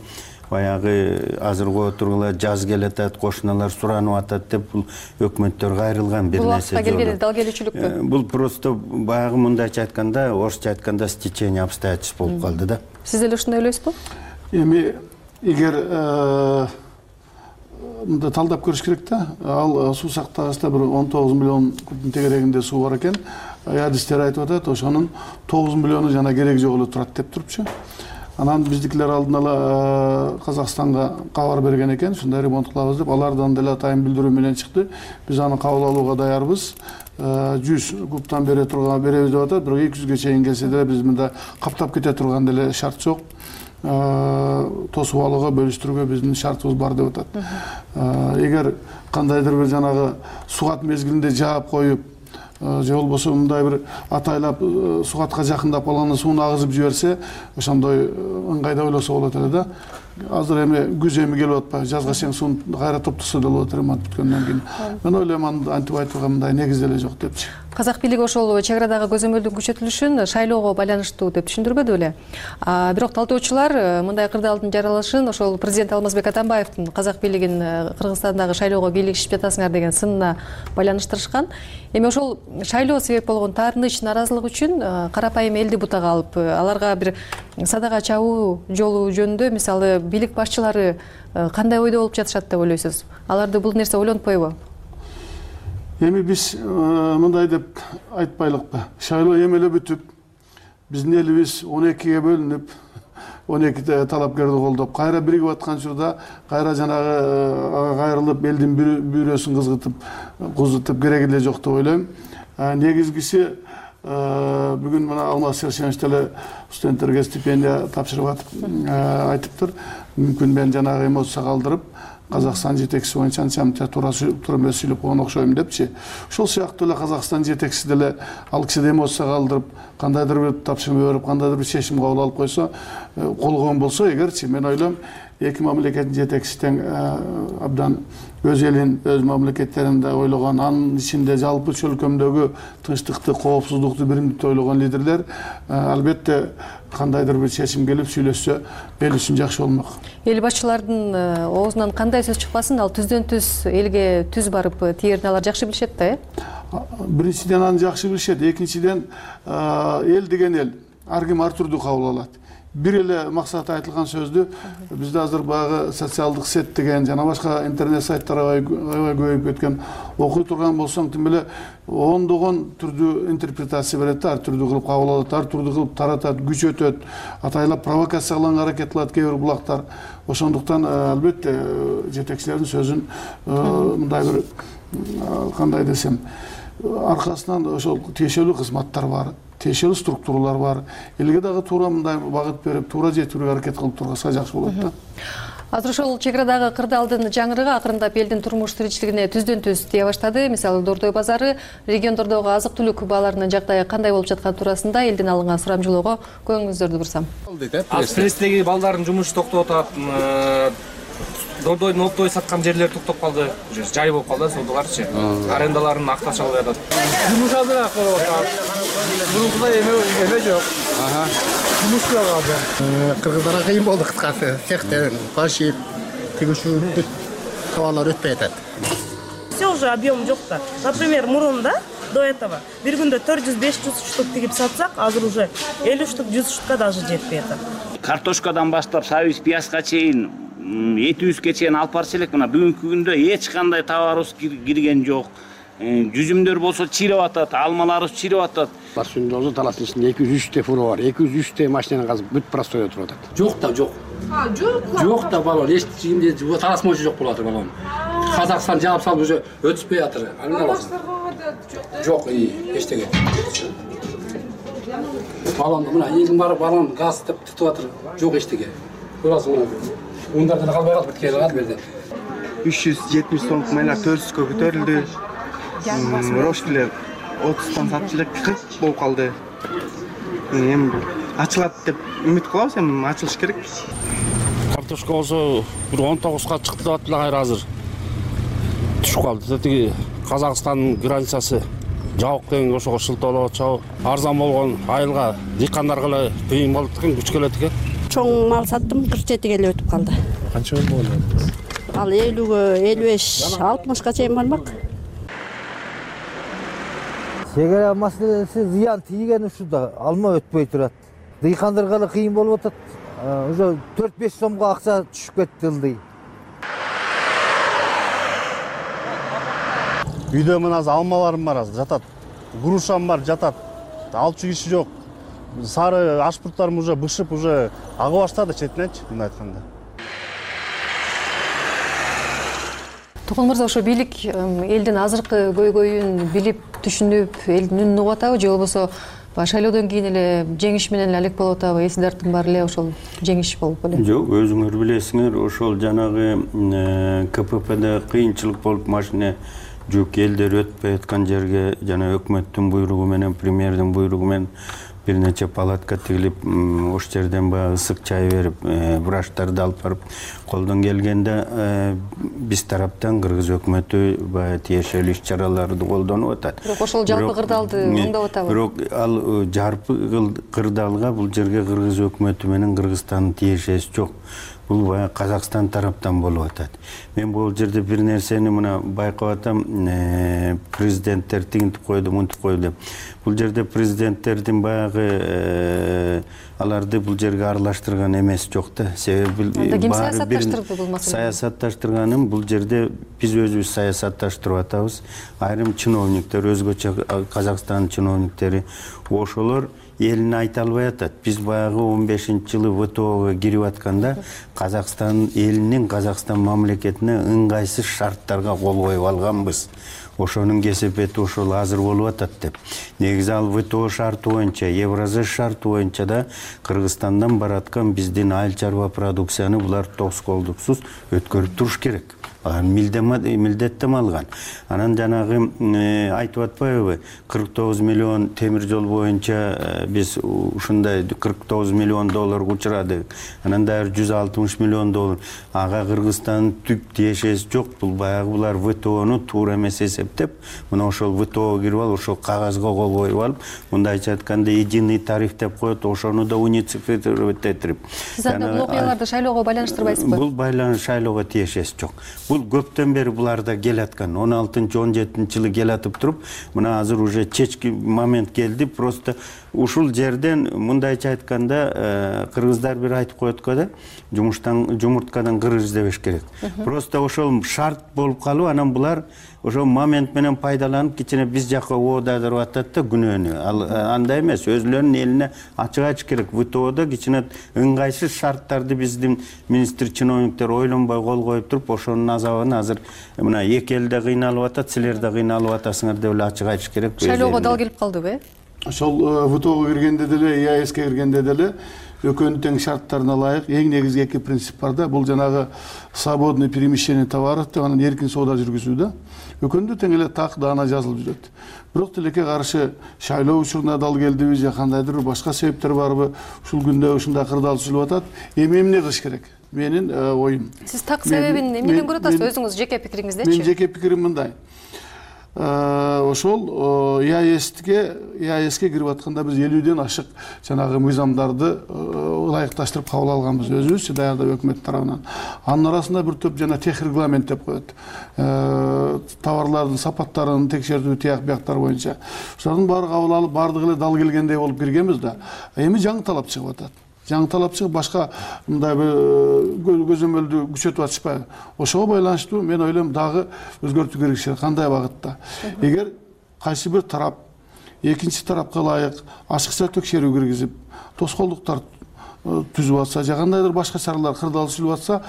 баягы азыркы отургула жаз келатат, кошуналар суранып атат деп бул өкмөттөр кайрылган бир нерсе жок. Келгени дал келүүчүлүкпү. Бул просто баягы мындайча айтканда, орусча айтканда стечение обстоятельств болуп калды да. Сиз деле ушундай ойлойсузбу? Эми эгер мында талдап көрүш керек да. Ал суу сактагычта бир он тогуз миллион кубтун тегерегинде суу бар экен. Адистер айтып атат, ошонун тогуз миллиону жана кереги жок эле турат деп турупчу. Анан биздикилер алдын ала Казакстанга кабар берген экен, ушундай ремонт кылабыз деп, алардан деле атайын билдирүү менен чыкты. Биз аны кабыл алууга даярбыз. жүз кубтан бере турган беребиз деп атат, бирок эки жүзгө чейин келсе деле биз мында каптап кете турган деле шарт жок. Тосуп алууга, бөлүштүрүүгө биздин шартыбыз бар деп атат. Эгер кандайдыр бир жанагы сугат мезгилинде жаап коюп, же болбосо мындай бир атайлап сугатка жакындап калганда сууну агызып жиберсе, ошондой ыңгайда ойлосо болот эле да. Азыр эми күз эми келип атпайбы, жазга чейин сууну кайра топтосо деле болот ремонт бүткөндөн кийин. Мен ойлойм, антип айтууга мындай негиз деле жок депчи. Казак бийлиги ошол чек арадагы көзөмөлдүн күчөтүлүшүн шайлоого байланыштуу деп түшүндүрбөдү беле. Бирок талтоочулар мындай кырдаалдын жаралышын ошол президент Алмазбек Атамбаевдин Казак бийлигин Кыргызстандагы шайлоого бийлигишип жатасыңар деген сынына байланыштырышкан. Эми ошол шайлоо себеп болгон таарыныч, наразылык үчүн карапайым элди бутага алып, аларга бир садага чабуу жолу жөнүндө мисалы бийлик башчылары кандай ойдо болуп жатышат деп ойлойсуз? Аларды бул нерсе ойлонтпойбу? Эми биз мындай деп айтпайлыкпы. Шайлоо эми эле бүтүп, биздин элибиз он экиге бөлүнүп, он эки талапкерди колдоп, кайра биригип аткан учурда кайра жанагы кайрылып элдин бүйрөсүн кызгытып, кузутуп кереги эле жок деп ойлойм. Негизгиси бүгүн мына Алмаз Сершенович деле студенттерге стипендия тапшырып атып айтыптыр. Мүмкүн мен жанагы эмоция калдырып, Казакстан жетекчиси боюнча анча туура эмес сүйлөп койгон окшойм депчи. Ошол сыяктуу эле Казакстан жетекчиси деле ал киши да эмоция калдырып, кандайдыр бир тапшырма берип, кандайдыр бир чечим кабыл алып койсо, колгон болсо эгерчи, мен ойлойм, эки мамлекеттин жетекчиси тең абдан өз элин, өз мамлекеттеринде ойлогон, анын ичинде жалпы чөлкөмдөгү тынчтыкты, коопсуздукту, биримдикти ойлогон лидерлер албетте кандайдыр бир чечим келип сүйлөшсө эл үчүн жакшы болмок. Эл башчылардын оозунан кандай сөз чыкпасын, ал түздөн түз элге түз барып тиерин алар жакшы билишет да, э? Биринчиден аны жакшы билишет, экинчиден эл деген эл ар ким ар түрдүү кабыл алат. Бир эле максаты айтылган сөздү бизде азыр баягы социалдык сет деген жана башка интернет сайттар аябай көбөйүп кеткен. Окуй турган болсоң, тим эле ондогон түрдүү интерпретация берет, ар түрдүү кылып кабыл алат, ар түрдүү кылып таратат, күчөтөт, атайлап провокация кылганга аракет кылат кээ бир булактар. Ошондуктан албетте жетекчилердин сөзүн мындай бир кандай десем, аркасынан ошол тиешелүү кызматтар бар, тиешелүү структуралар бар. Элге дагы туура мындай багыт берип, туура жетүүгө аракет кылып тургаса жакшы болот да. Азыр ошол чек арадагы кырдаалдын жаңырыгы акырындап элдин турмуш тиричилигине түздөн түз тие баштады. Мисалы Дордой базары, региондордогу азык-түлүк бааларынын жагдайы кандай болуп жаткан туурасында элдин алынган сурамжылоого көңүңүздөрдү бурсам. Пресстеги балдардын жумушу токтоп атат. Дордойдун оптой саткан жерлери токтоп калды. Жай болуп калды, содоларчы. Арендаларын акташ алып атат. Жумуш азыраак болуп атат. Мурункудай эме жок. Жумуш жок азыр. Кыргыздарга кыйын болду кыскасы. Цехтен пашип, тигишүү товарлар өтпөй атат. Все уже объем жок да. Например, мурунда до этого бир күндө төрт жүз беш жүз штук тигип сатсак, азыр уже элүү штук, жүз штукка даже жетпей атат. Картошкадан баштап сабиз пиязга чейин, этибизге чейин алып барчу элек. Мына бүгүнкү күндө эч кандай товарыбыз кирген жок. Жүзүмдөр болсо чиреп атат, алмаларыбыз чиреп атат. Сүйүндөрдүн талаштын ичинде эки жүз үчтө фуру бар. эки жүз үчтө машинаны казып бүт простоя туруп атат. Жок да, жок. А, жок. Жок да балон, эч кимде талаш мойчу жок болуп атыр балон. Казакстан жаап салып уже өтүшпөй атыр. Жок, эчтеге. баллонду мына элдин баары баллон газ деп тутуп атыр, жок эчтеке. Көрасың мына. Ундардан калбай калып кеткен кал берди. үч жүз жетимиш сомдук майлар төрт жүзгө көтөрүлдү. Рошкилер отуздан сатып элек кырк болуп калды. Эми ачылат деп үмүт кылабыз, эми ачылыш керек. Картошка болсо бир он тогузга чыкты деп атып эле кайра азыр түшүп калды. Тиги Казакстандын границасы жабык деген ошого шылтоолоп атышабы. Арзан болгон айылга дыйкандарга эле кыйын болуп экен, күч келет экен. Чоң мал саттым, кырк жетиге эле өтүп калды. Канча болду? Ал элүүгө, элүү беш, алтымышка чейин бармак. Чегара маселеси зыян тийген ушуда алма өтпөй турат. Дыйкандарга эле кыйын болуп атат. Уже төрт беш сомго акча түшүп кетти ылдый. Үйдө мына алмаларым бар азыр жатат. Грушам бар жатат. Алчу киши жок. Сары ашпурттарым уже бышып, уже агы баштады четинечи, мындай айтканда. Токон мырза, ошо бийлик элдин азыркы көйгөйүн билип, түшүнүп, элдин үнүн угуп атабы, же болбосо шайлоодон кийин эле жеңиш менен эле алек болуп атабы? Эсилдердин баары эле ошол жеңиш болуп эле. Жок, өзүңөр билесиңер, ошол жанагы КППде кыйынчылык болуп машина жүк элдер өтпөй аткан жерге жана өкмөттүн буйругу менен, премьердин буйругу менен бир нече палатка тигилип, ош жерден баягы ысык чай берип, врачтарды алып барып, колдон келгенде биз тараптан кыргыз өкмөтү баягы тиешелүү иш-чараларды колдонуп атат. Бирок ошол жалпы кырдаалды оңдоп атабы? Бирок ал жалпы кырдаалга бул жерге кыргыз өкмөтү менен Кыргызстандын тиешеси жок. Бул баягы Казакстан тараптан болуп атат. Мен бул жерде бир нерсени мына байкап атам, президенттер тигинтип койду, мынтип койду деп. Бул жерде президенттердин баягы аларды бул жерге аралаштырган эмес жок да. Себеби ким саясатташтырды бул маселени? Саясатташтырганым бул жерде биз өзүбүз саясатташтырып атабыз. Айрым чиновниктер, өзгөчө Казакстан чиновниктери ошолор элине айта албай атат. Биз баягы он бешинчи жылы вэ тэ оого кирип атканда Казакстан элинин, Казакстан мамлекетине ыңгайсыз шарттарга кол коюп алганбыз. Ошонун кесепети ошол азыр болуп атат деп. Негизи ал вэ тэ о шарты боюнча, Евразия шарты боюнча да Кыргызстандан бараткан биздин айыл чарба продукцияны булар тоскоолдуксуз өткөрүп туруш керек. Милдеттем алган. Анан жанагы айтып атпайбы, кырк тогуз миллион темир жол боюнча биз ушундай кырк тогуз миллион доллар учурадык. Анан дагы жүз алтымыш миллион доллар. Ага Кыргызстандын түп тиешеси жок. Бул баягы булар вэ тэ ону туура эмес эсептеп, мына ошол вэ тэ оого кирип алып, ошол кагазга кол коюп алып, мындайча айтканда единый тариф деп коет, ошону да унифицировать этип. Сиз анда бул окуяларды шайлоого байланыштырбайсызбы? Бул байланыш шайлоого тиешеси жок. Бул көптөн бери буларда келаткан. он алтынчы он жетинчи жылы келатып туруп, мына азыр уже чечки момент келди. Просто ушул жерден мындайча айтканда кыргыздар бир айтып коет го да, жумуштан жумурткадан кыр издебеш керек. Просто ошол шарт болуп калып, анан булар ошол момент менен пайдаланып кичине биз жакка оодадырып атат да күнөөнү. Ал андай эмес, өзүлөрүнүн элине ачык айтыш керек. вэ тэ оодо кичине ыңгайсыз шарттарды биздин министр чиновниктер ойлонбой кол коюп туруп, ошонун азабын азыр мына эки эл да кыйналып атат, силер да кыйналып атасыңар деп эле ачык айтыш керек. Шайлоого дал келип калдыбы? Ошол вэ тэ оого киргенде деле, и а эске киргенде деле экөөнүн тең шарттарына ылайык эң негизги эки принцип бар да. Бул жанагы свободное перемещение товаров деп, анан эркин соода жүргүзүү да. Экөөндө тең эле так даана жазылып жүрөт. Бирок тилекке каршы шайлоо учуруна дал келдиби же кандайдыр башка себептер барбы? Ушул күндө ушундай кырдаал түзүлүп атат. Эми эмне кылыш керек? Менин оюм. Сиз так себебин эмнеден көрүп атасыз? Өзүңүз жеке пикириңиздечи? Мен жеке пикирим мындай. Ошол и а эске и а эске кирип атканда биз элүүдөн ашык жанагы мыйзамдарды ылайыкташтырып кабыл алганбыз өзүбүз даярдап өкмөт тарабынан. Анын арасында бир топ жана тех регламент деп коет. Товарлардын сапаттарын текшертүү тияк бияктар боюнча. Ошолордун баары кабыл алып, бардыгы эле дал келгендей болуп киргенбиз да. Эми жаңы талап чыгып атат. Жаңы талап чыгып башка мындай бир көзөмөлдү күчөтүп атышпайбы? Ошого байланыштуу мен ойлойм дагы өзгөртүү керек. Кандай багытта? Эгер кайсы бир тарап экинчи тарапка ылайык ачыкча текшерүү киргизип, тоскоолдуктар түзүп атса, же кандайдыр башка чаралар кырдаал түзүлүп атса,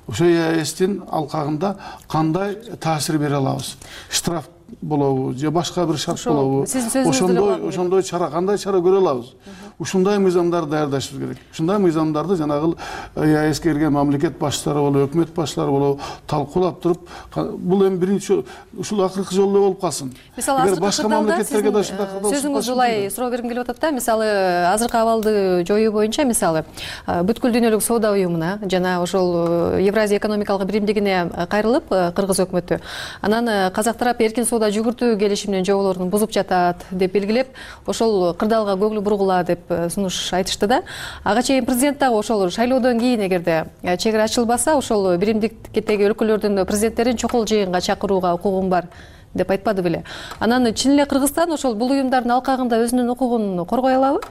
ошо и а эстин алкагында кандай таасир бере алабыз? Штраф болобу же башка бир шарт болобу? Сиздин сөзүңүздө Ошондой ошондой чара кандай чара көрө алабыз? Ушундай мыйзамдарды даярдашыбыз керек. Ушундай мыйзамдарды жанагы ЕАЭСке кирген мамлекет башчылары болобу, өкмөт башчылары болобу талкуулап туруп, бул эми биринчи ушул акыркы жолу болуп калсын. Мисалы башка мамлекеттерге да ушундай сөзүңүз улай суроо бергим келип атат да. Мисалы азыркы абалды жоюу боюнча, мисалы бүткүл дүйнөлүк соода уюмуна жана ошол Евразия экономикалык биримдигине кайрылып кыргыз өкмөтү, анан казак тарап эркин соода жүгүртүү келишиминин жоболорун бузуп жатат деп белгилеп, ошол кырдаалга көңүл бургула деп сунуш айтышты да. Ага чейин президент дагы ошол шайлоодон кийин эгерде чек ара ачылбаса, ошол биримдиктеги өлкөлөрдүн президенттерин чокул жыйынга чакырууга укугум бар деп айтпады беле. Анан чын эле Кыргызстан ошол бул уюмдардын алкагында өзүнүн укугун коргой алабы?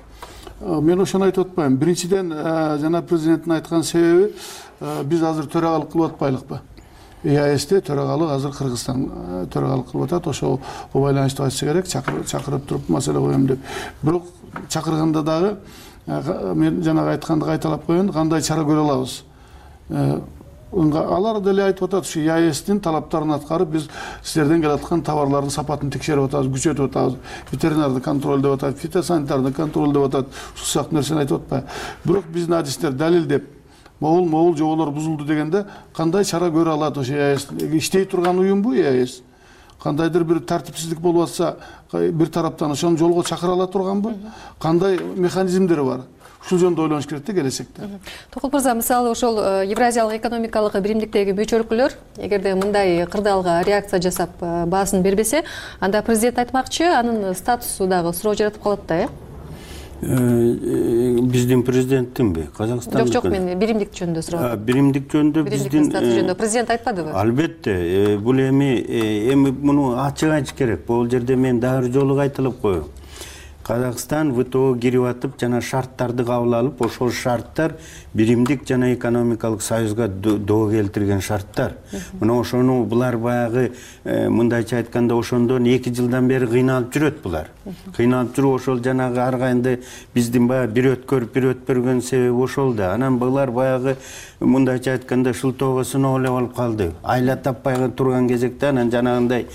Мен ошону айтып атпайм. Биринчиден жана президенттин айткан себеби биз азыр төрагалык кылып атпайлыкпы? ЕАЭСте төрагалык азыр Кыргызстан төрагалык кылып атат. Ошол байланыштуу айтыш керек, чакырып туруп маселе коем деп. Бирок чакырганда дагы мен жанагы айтканды кайталап коеюн, кандай чара көрө алабыз? Алар деле айтып атат, ушу ЕАЭСтин талаптарын аткарып, биз силерден келаткан товарлардын сапатын текшерип атабыз, күчөтүп атабыз, ветеринарды контролдоп атат, фитосанитарды контролдоп атат, ушул сыяктуу нерсени айтып атпайбы? Бирок биздин адистер далилдеп, могул могул жоболор бузулду дегенде кандай чара көрө алат ошо ЕАЭС? Иштей турган уюмбу ЕАЭС? Кандайдыр бир тартипсиздик болуп атса, бир тараптан ошону жолго чакыра ала турганбы? Кандай механизмдери бар? Ушул жөнүндө ойлонуш керек да келечекте. Токол мырза, мисалы ошол Евразиялык экономикалык биримдиктеги мүчө өлкөлөр эгерде мындай кырдаалга реакция жасап баасын бербесе, анда президент айтмакчы, анын статусу дагы суроо жаратып калат да, э? Биздин президенттинби? Казакстандын? Жок, жок, мен биримдик жөнүндө сурап. Биримдик жөнүндө биздин президент айтпадыбы? Албетте, бул эми эми муну ачык айтыш керек. Бул жерде мен дагы жолу кайталап коеюн. Казакстан ВТО кирип атып, жана шарттарды кабыл алып, ошол шарттар биримдик жана экономикалык союзга доо келтирген шарттар. Мына ошону булар баягы мындайча айтканда ошондон эки жылдан бери кыйналып жүрөт булар. Кыйналып жүрүп ошол жанагы ар кайында биздин баягы бир өткөрүп бир өтпөргөн себеби ошол да. Анан булар баягы мындайча айтканда шылтоого сыноолеп алып калды. Айла таппай турган кезекте анан жанагындай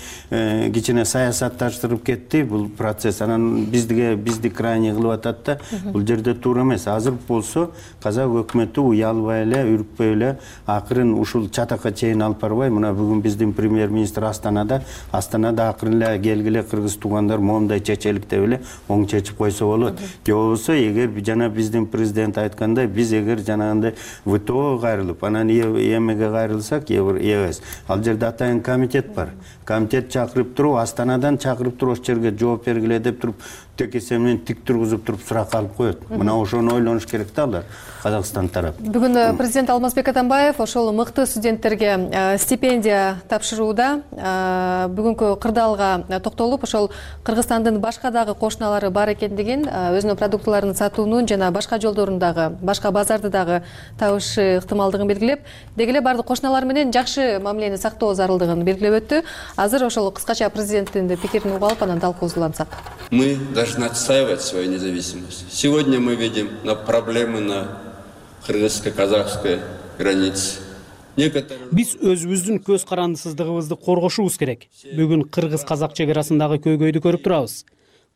кичине саясатташтырып кетти бул процесс. Анан бизге бизди крайне кылып атат да. Бул жерде туура эмес. Азыр болсо казак өкмөтү уялбай эле, үркпөй эле акырын ушул чатакка чейин алып барбай, мына бүгүн биздин премьер-министр Астанада, Астанада акырын эле келгиле кыргыз туугандар моундай чечелик деп эле оң чечип койсо болот. Же болбосо эгер жана биздин президент айткандай, биз эгер жанагындай ВТО кайрылып, анан эмеге кайрылсак, ЕАЭС, ал жерде атайын комитет бар. Комитет чакырып туруп, Астанадан чакырып туруп, ошол жерге жооп бергиле деп туруп, текесе менен тик тургузуп туруп сурак алып коет. Мына ошону ойлонуш керек да алар, Казакстан тарап. Бүгүн президент Алмазбек Атамбаев ошол мыкты студенттерге стипендия тапшырууда бүгүнкү кырдаалга токтолуп, ошол Кыргызстандын башка дагы кошуналары бар экендигин, өзүнүн продуктыларын сатуунун жана башка жолдорун дагы, башка базарды дагы табышы ыктымалдыгын белгилеп, деги эле бардык кошуналар менен жакшы мамилени сактоо зарылдыгын белгилеп өттү. Азыр ошол кыскача президенттин пикирин угуп алып, анан талкуусулансак. Мы должны отстаивать свою независимость. Сегодня мы видим на проблемы на кыргызско-казакской границе. Биз өзүбүздүн көз карандысыздыгыбызды коргошубуз керек. Бүгүн кыргыз-казак чек арасындагы көйгөйдү көрүп турабыз.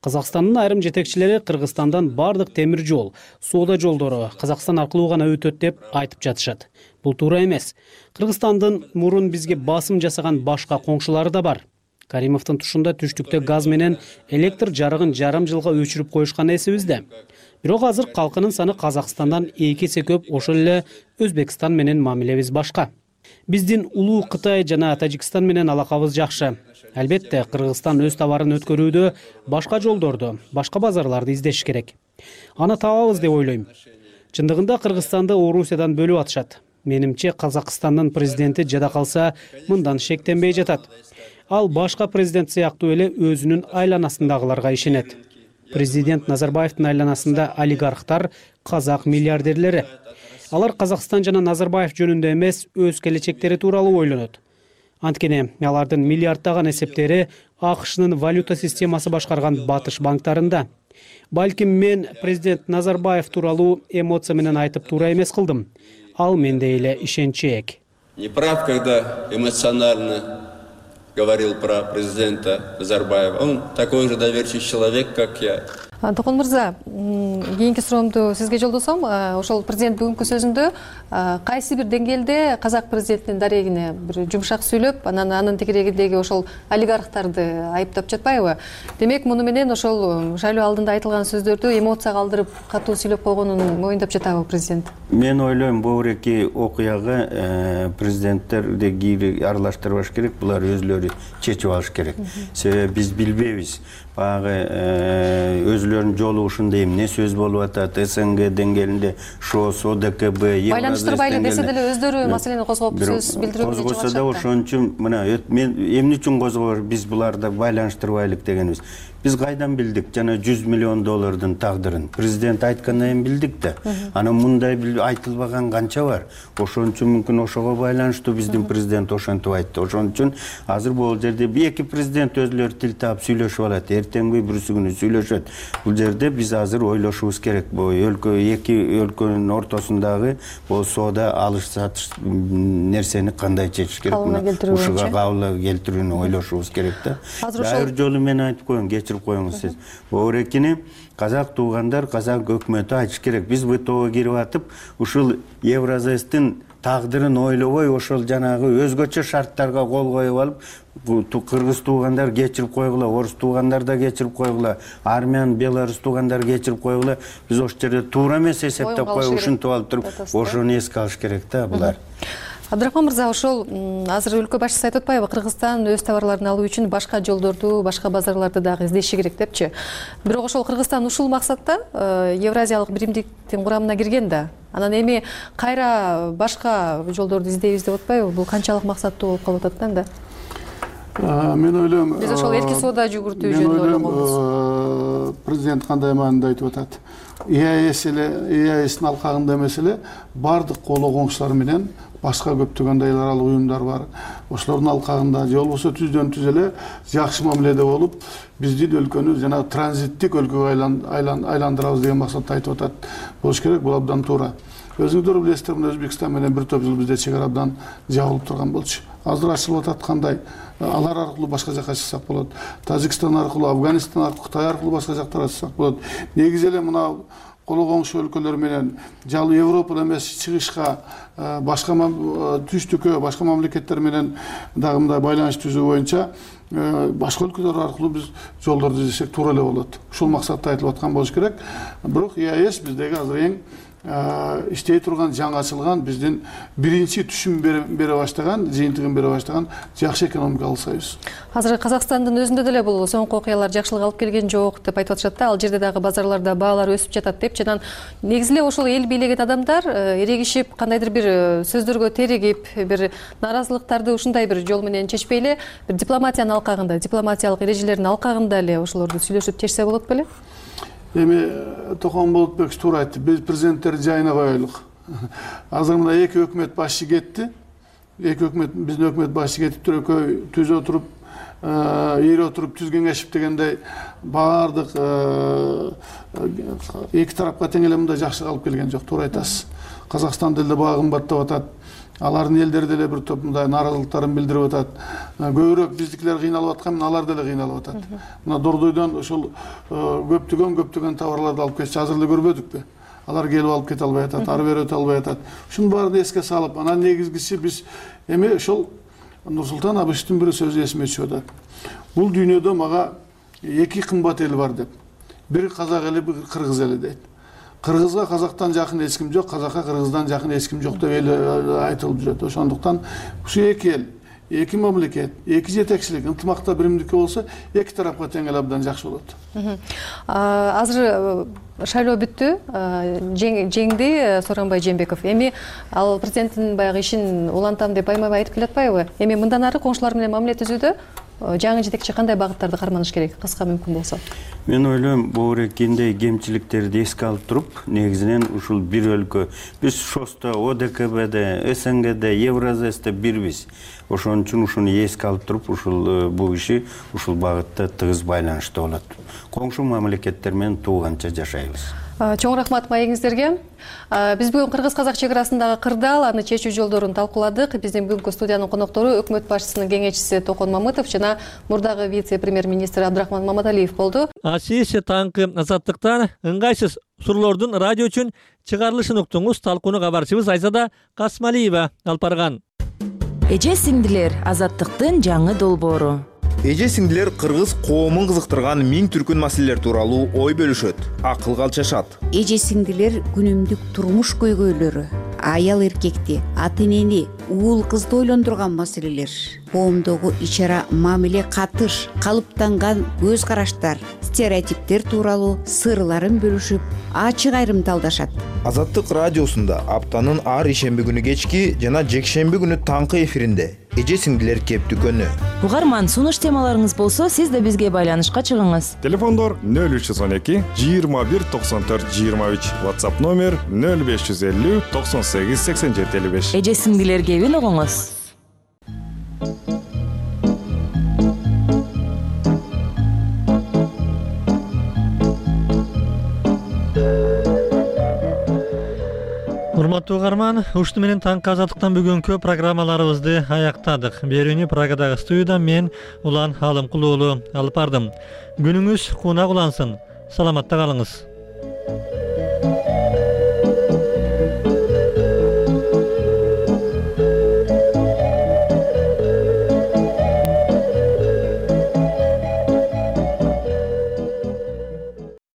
Казакстандын айрым жетекчилери Кыргызстандан бардык темир жол, соода жолдору Казакстан аркылуу гана өтөт деп айтып жатышат. Бул туура эмес. Кыргызстандын мурун бизге басым жасаган башка коңшулары да бар. Каримовдун тушунда түштүктө газ менен электр жарыгын жарым жылга өчүрүп коюшкан эсибизде. Бирок азыр калкынын саны Казакстандан эки эсе көп, ошол эле Өзбекстан менен мамилебиз башка. Биздин улуу Кытай жана Тажикстан менен алакабыз жакшы. Албетте, Кыргызстан өз товарын өткөрүүдө башка жолдорду, башка базарларды издеш керек. Аны табабыз деп ойлойм. Чындыгында Кыргызстанды Орусиядан бөлүп атышат. Менимче, Казакстандын президенти жада калса, мындан шектенбей жатат. Ал башка президент сыяктуу эле өзүнүн айланасындагыларга ишенет. Президент Назарбаевдин айланасында олигархтар, казак миллиардерлери. Алар Казакстан жана Назарбаев жөнүндө эмес, өз келечектери тууралуу ойлонот. Анткени алардын миллиарддаган эсептери АКШнын валюта системасы башкарган батыш банктарында. Балким мен президент Назарбаев тууралуу эмоция менен айтып туура эмес кылдым. Ал менде эле ишенчээк. Не прав, когда эмоционально говорил про президента Назарбаева. Он такой же доверчивый человек, как я. Токон мырза, кийинки суроомду сизге жолдосом. Ошол президент бүгүнкү сөзүндө кайсы бир деңгээлде казак президентинин дарегине бир жумшак сүйлөп, анан анын тегерегиндеги ошол олигархтарды айыптап жатпайбы? Демек, муну менен ошол шайлоо алдында айтылган сөздөрдү эмоцияга алдырып катуу сүйлөп койгонун моюндап жатабы президент? Мен ойлойм, бул эки окуяга президенттерди кийин аралаштырбаш керек, булар өзлөрү чечип алыш керек. Себеби биз билбейбиз. Багы өзлөрүнүн жолугушунда эмне сөз болуп атат, СНГ деңгээлинде ШОС, ОДКБ, Евразия байланыштырбайлы десе деле өздөрү маселени козгоп сөз билдирүүгө чыгышат. Козгосо да ошон үчүн мына мен эмне үчүн козгобор, биз буларды байланыштырбайлык дегенбиз. Биз кайдан билдик жана жүз миллион доллардын тагдырын? Президент айткандан кийин билдик да. Анан мындай айтылбаган канча бар. Ошон үчүн мүмкүн ошого байланыштуу биздин президент ошентип айтты. Ошон үчүн азыр бул жерде эки президент өзлөрү тил таап сүйлөшүп алат. Эртеңби бүрсү күнү сүйлөшөт. Бул жерде биз азыр ойлошубуз керек. Бул өлкө эки өлкөнүн ортосундагы бул соода алыш сатыш нерсени кандай чечиш керек? Ушуга кабыл келтирүүнү ойлошубуз керек да. Дайыр жолу мен айтып коеюн, кечирип коюңуз сиз. Орекини казак туугандар, казак өкмөтү айтыш керек. Биз ВТОго кирип атып, ушул Евразестин тагдырын ойлобой, ошол жанагы өзгөчө шарттарга кол коюп алып, кыргыз туугандар кечирип койгула, орус туугандар да кечирип койгула, армян, белорус туугандар кечирип койгула. Биз ошол жерде туура эмес эсептеп коюп ушинтип алып туруп, ошону эске алыш керек да булар. Абдрахман мырза, ошол азыр өлкө башчысы айтып атпайбы, Кыргызстан өз товарларын алуу үчүн башка жолдорду, башка базарларды дагы издеши керек депчи. Бирок ошол Кыргызстан ушул максатта Евразиялык биримдиктин курамына кирген да. Анан эми кайра башка жолдорду издейбиз деп атпайбы? Бул канчалык максаттуу болуп калып атат да? Мен ойлойм, биз ошол эрки соода жүгүртүү жөнүндө ойлогонбуз. Президент кандай маанинде айтып атат? ИАЭС эле, ИАЭСтин алкагында эмес эле, бардык коло коңшулар менен башка көптөгөн эл аралык уюмдар бар. Ошолордун алкагында же болбосо түздөн түз эле жакшы мамиледе болуп, биздин өлкөнү жана транзиттик өлкөгө айландырабыз деген максатта айтып атат. Болуш керек, бул абдан туура. Өзүңүздөр билесиздер, мына Өзбекстан менен бир топ жыл бизде чек ара абдан жабылып турган болчу. Азыр ачылып атат, кандай? Алар аркылуу башка жакка чыксак болот. Тажикстан аркылуу, Афганистан аркылуу, Кытай аркылуу башка жактарга чыксак болот. Негизи эле мына коло коңшу өлкөлөр менен жалпы Европада эмес, чыгышка, башка түштүккө, башка мамлекеттер менен дагы мындай байланыш түзүү боюнча башка өлкөлөр аркылуу биз жолдорду издесек туура эле болот. Ушул максатта айтылып аткан болуш керек. Бирок ИАЭС биздеги азыр эң иштей турган, жаңы ачылган, биздин биринчи түшүм бере баштаган, жыйынтыгын бере баштаган жакшы экономикалык союз. Азыр Казакстандын өзүндө деле бул соңку окуялар жакшылык алып келген жок деп айтып атышат да. Ал жерде дагы базарларда баалар өсүп жатат деп, жана негизи эле ошол эл бийлеген адамдар эрегишип, кандайдыр бир сөздөргө теригип, бир нааразылыктарды ушундай бир жол менен чечпей эле, бир дипломатиянын алкагында, дипломатиялык эрежелердин алкагында эле ошолорду сүйлөшүп чечсе болот беле? Эми Токон Болотбекович туура айтты. Биз президенттерди жайына коелук. Азыр мына эки өкмөт башчы кетти. Эки өкмөт, биздин өкмөт башчы кетип туруп, экөө түз отуруп, ийри отуруп түз кеңешип дегендей баардык эки тарапка тең эле мындай жакшы алып келген жок, туура айтасыз. Казакстан деле баа кымбаттап атат. Алардын элдери деле бир топ мындай нааразылыктарын билдирип атат. Көбүрөөк биздикилер кыйналып аткан, алар деле кыйналып атат. Мына Дордойдон ошол көптөгөн көптөгөн товарларды алып кетчи, азыр эле көрбөдүкпү? Алар келип алып кете албай атат, ары бери өтө албай атат. Ушунун баарын эске салып, анан негизгиси биз эми ошол Нурсултан Абишевичтин бир сөзү эсиме түшүп атат. Бул дүйнөдө мага эки кымбат эл бар деп. Бири казак эли, бири кыргыз эли дейт. Кыргызга казактан жакын эч ким жок, казакка кыргыздан жакын эч ким жок деп эл айтылып жүрөт. Ошондуктан ушу эки эл, эки мамлекет, эки жетекчилик ынтымакта биримдикке болсо, эки тарапка тең эле абдан жакшы болот. Азыр шайлоо бүттү, жеңди Сооронбай Жээнбеков. Эми ал президенттин баягы ишин улантам деп байма-бай айтып келатпайбы? Эми мындан ары коңшулар менен мамиле түзүүдө жаңы жетекчи кандай багыттарды карманыш керек, кыска мүмкүн болсо? Мен ойлойм, бул экиндей кемчиликтерди эске алып туруп, негизинен ушул бир өлкө, биз ШОСто, ОДКБде, СНГде, Евразесте бирбиз. Ошон үчүн ушуну эске алып туруп, ушул бул иши ушул багытта тыгыз байланышта болот. Коңшу мамлекеттер менен тууганча жашайбыз. Чоң рахмат маегиңиздерге. Биз бүгүн кыргыз-казак чек арасындагы кырдаал, аны чечүү жолдорун талкууладык. Биздин бүгүнкү студиянын коноктору өкмөт башчысынын кеңешчиси Токон Мамытов жана мурдагы вице-премьер-министр Абдрахман Маматалиев болду. Асиси таңкы Азаттыктан ыңгайсыз суроолордун радио үчүн чыгарылышын уктуңуз. Талкууну кабарчыбыз Айзада Касмалиева алып барган. Эже сиңдилер, Азаттыктын жаңы долбоору. Эже сиңдилер кыргыз коомун кызыктырган миң түркүн маселелер тууралуу ой бөлүшөт, акыл калчашат. Эже сиңдилер күнүмдүк турмуш көйгөйлөрү, аял эркекти, ата энени, уул кызды ойлондурган маселелер, коомдогу ичара мамиле катыш, калыптанган көз караштар, стереотиптер тууралуу сырларын бөлүшүп, ачык айрымталдашат. Азаттык радиосунда аптанын ар ишемби күнү кечки жана жекшемби күнү таңкы эфиринде эже сиңдилер кеп дүкөнү. Угарман, сунуш темаларыңыз болсо, сиз да бизге байланышка чыгыңыз. Телефондор нөл үч жүз он эки жыйырма бир токсон төрт жыйырма үч, WhatsApp номер нөл беш жүз элүү токсон сегиз сексен жети элүү беш. Эже сиңдилер кебин угуңуз. Урматтуу угарман, ушту менен таңкы Азаттыктан бүгүнкү программаларыбызды аяктадык. Берүүнү Прагадагы студиядан мен Улан Алымкул уулу алып бардым. Күнүңүз кунак улансын. Саламатта калыңыз.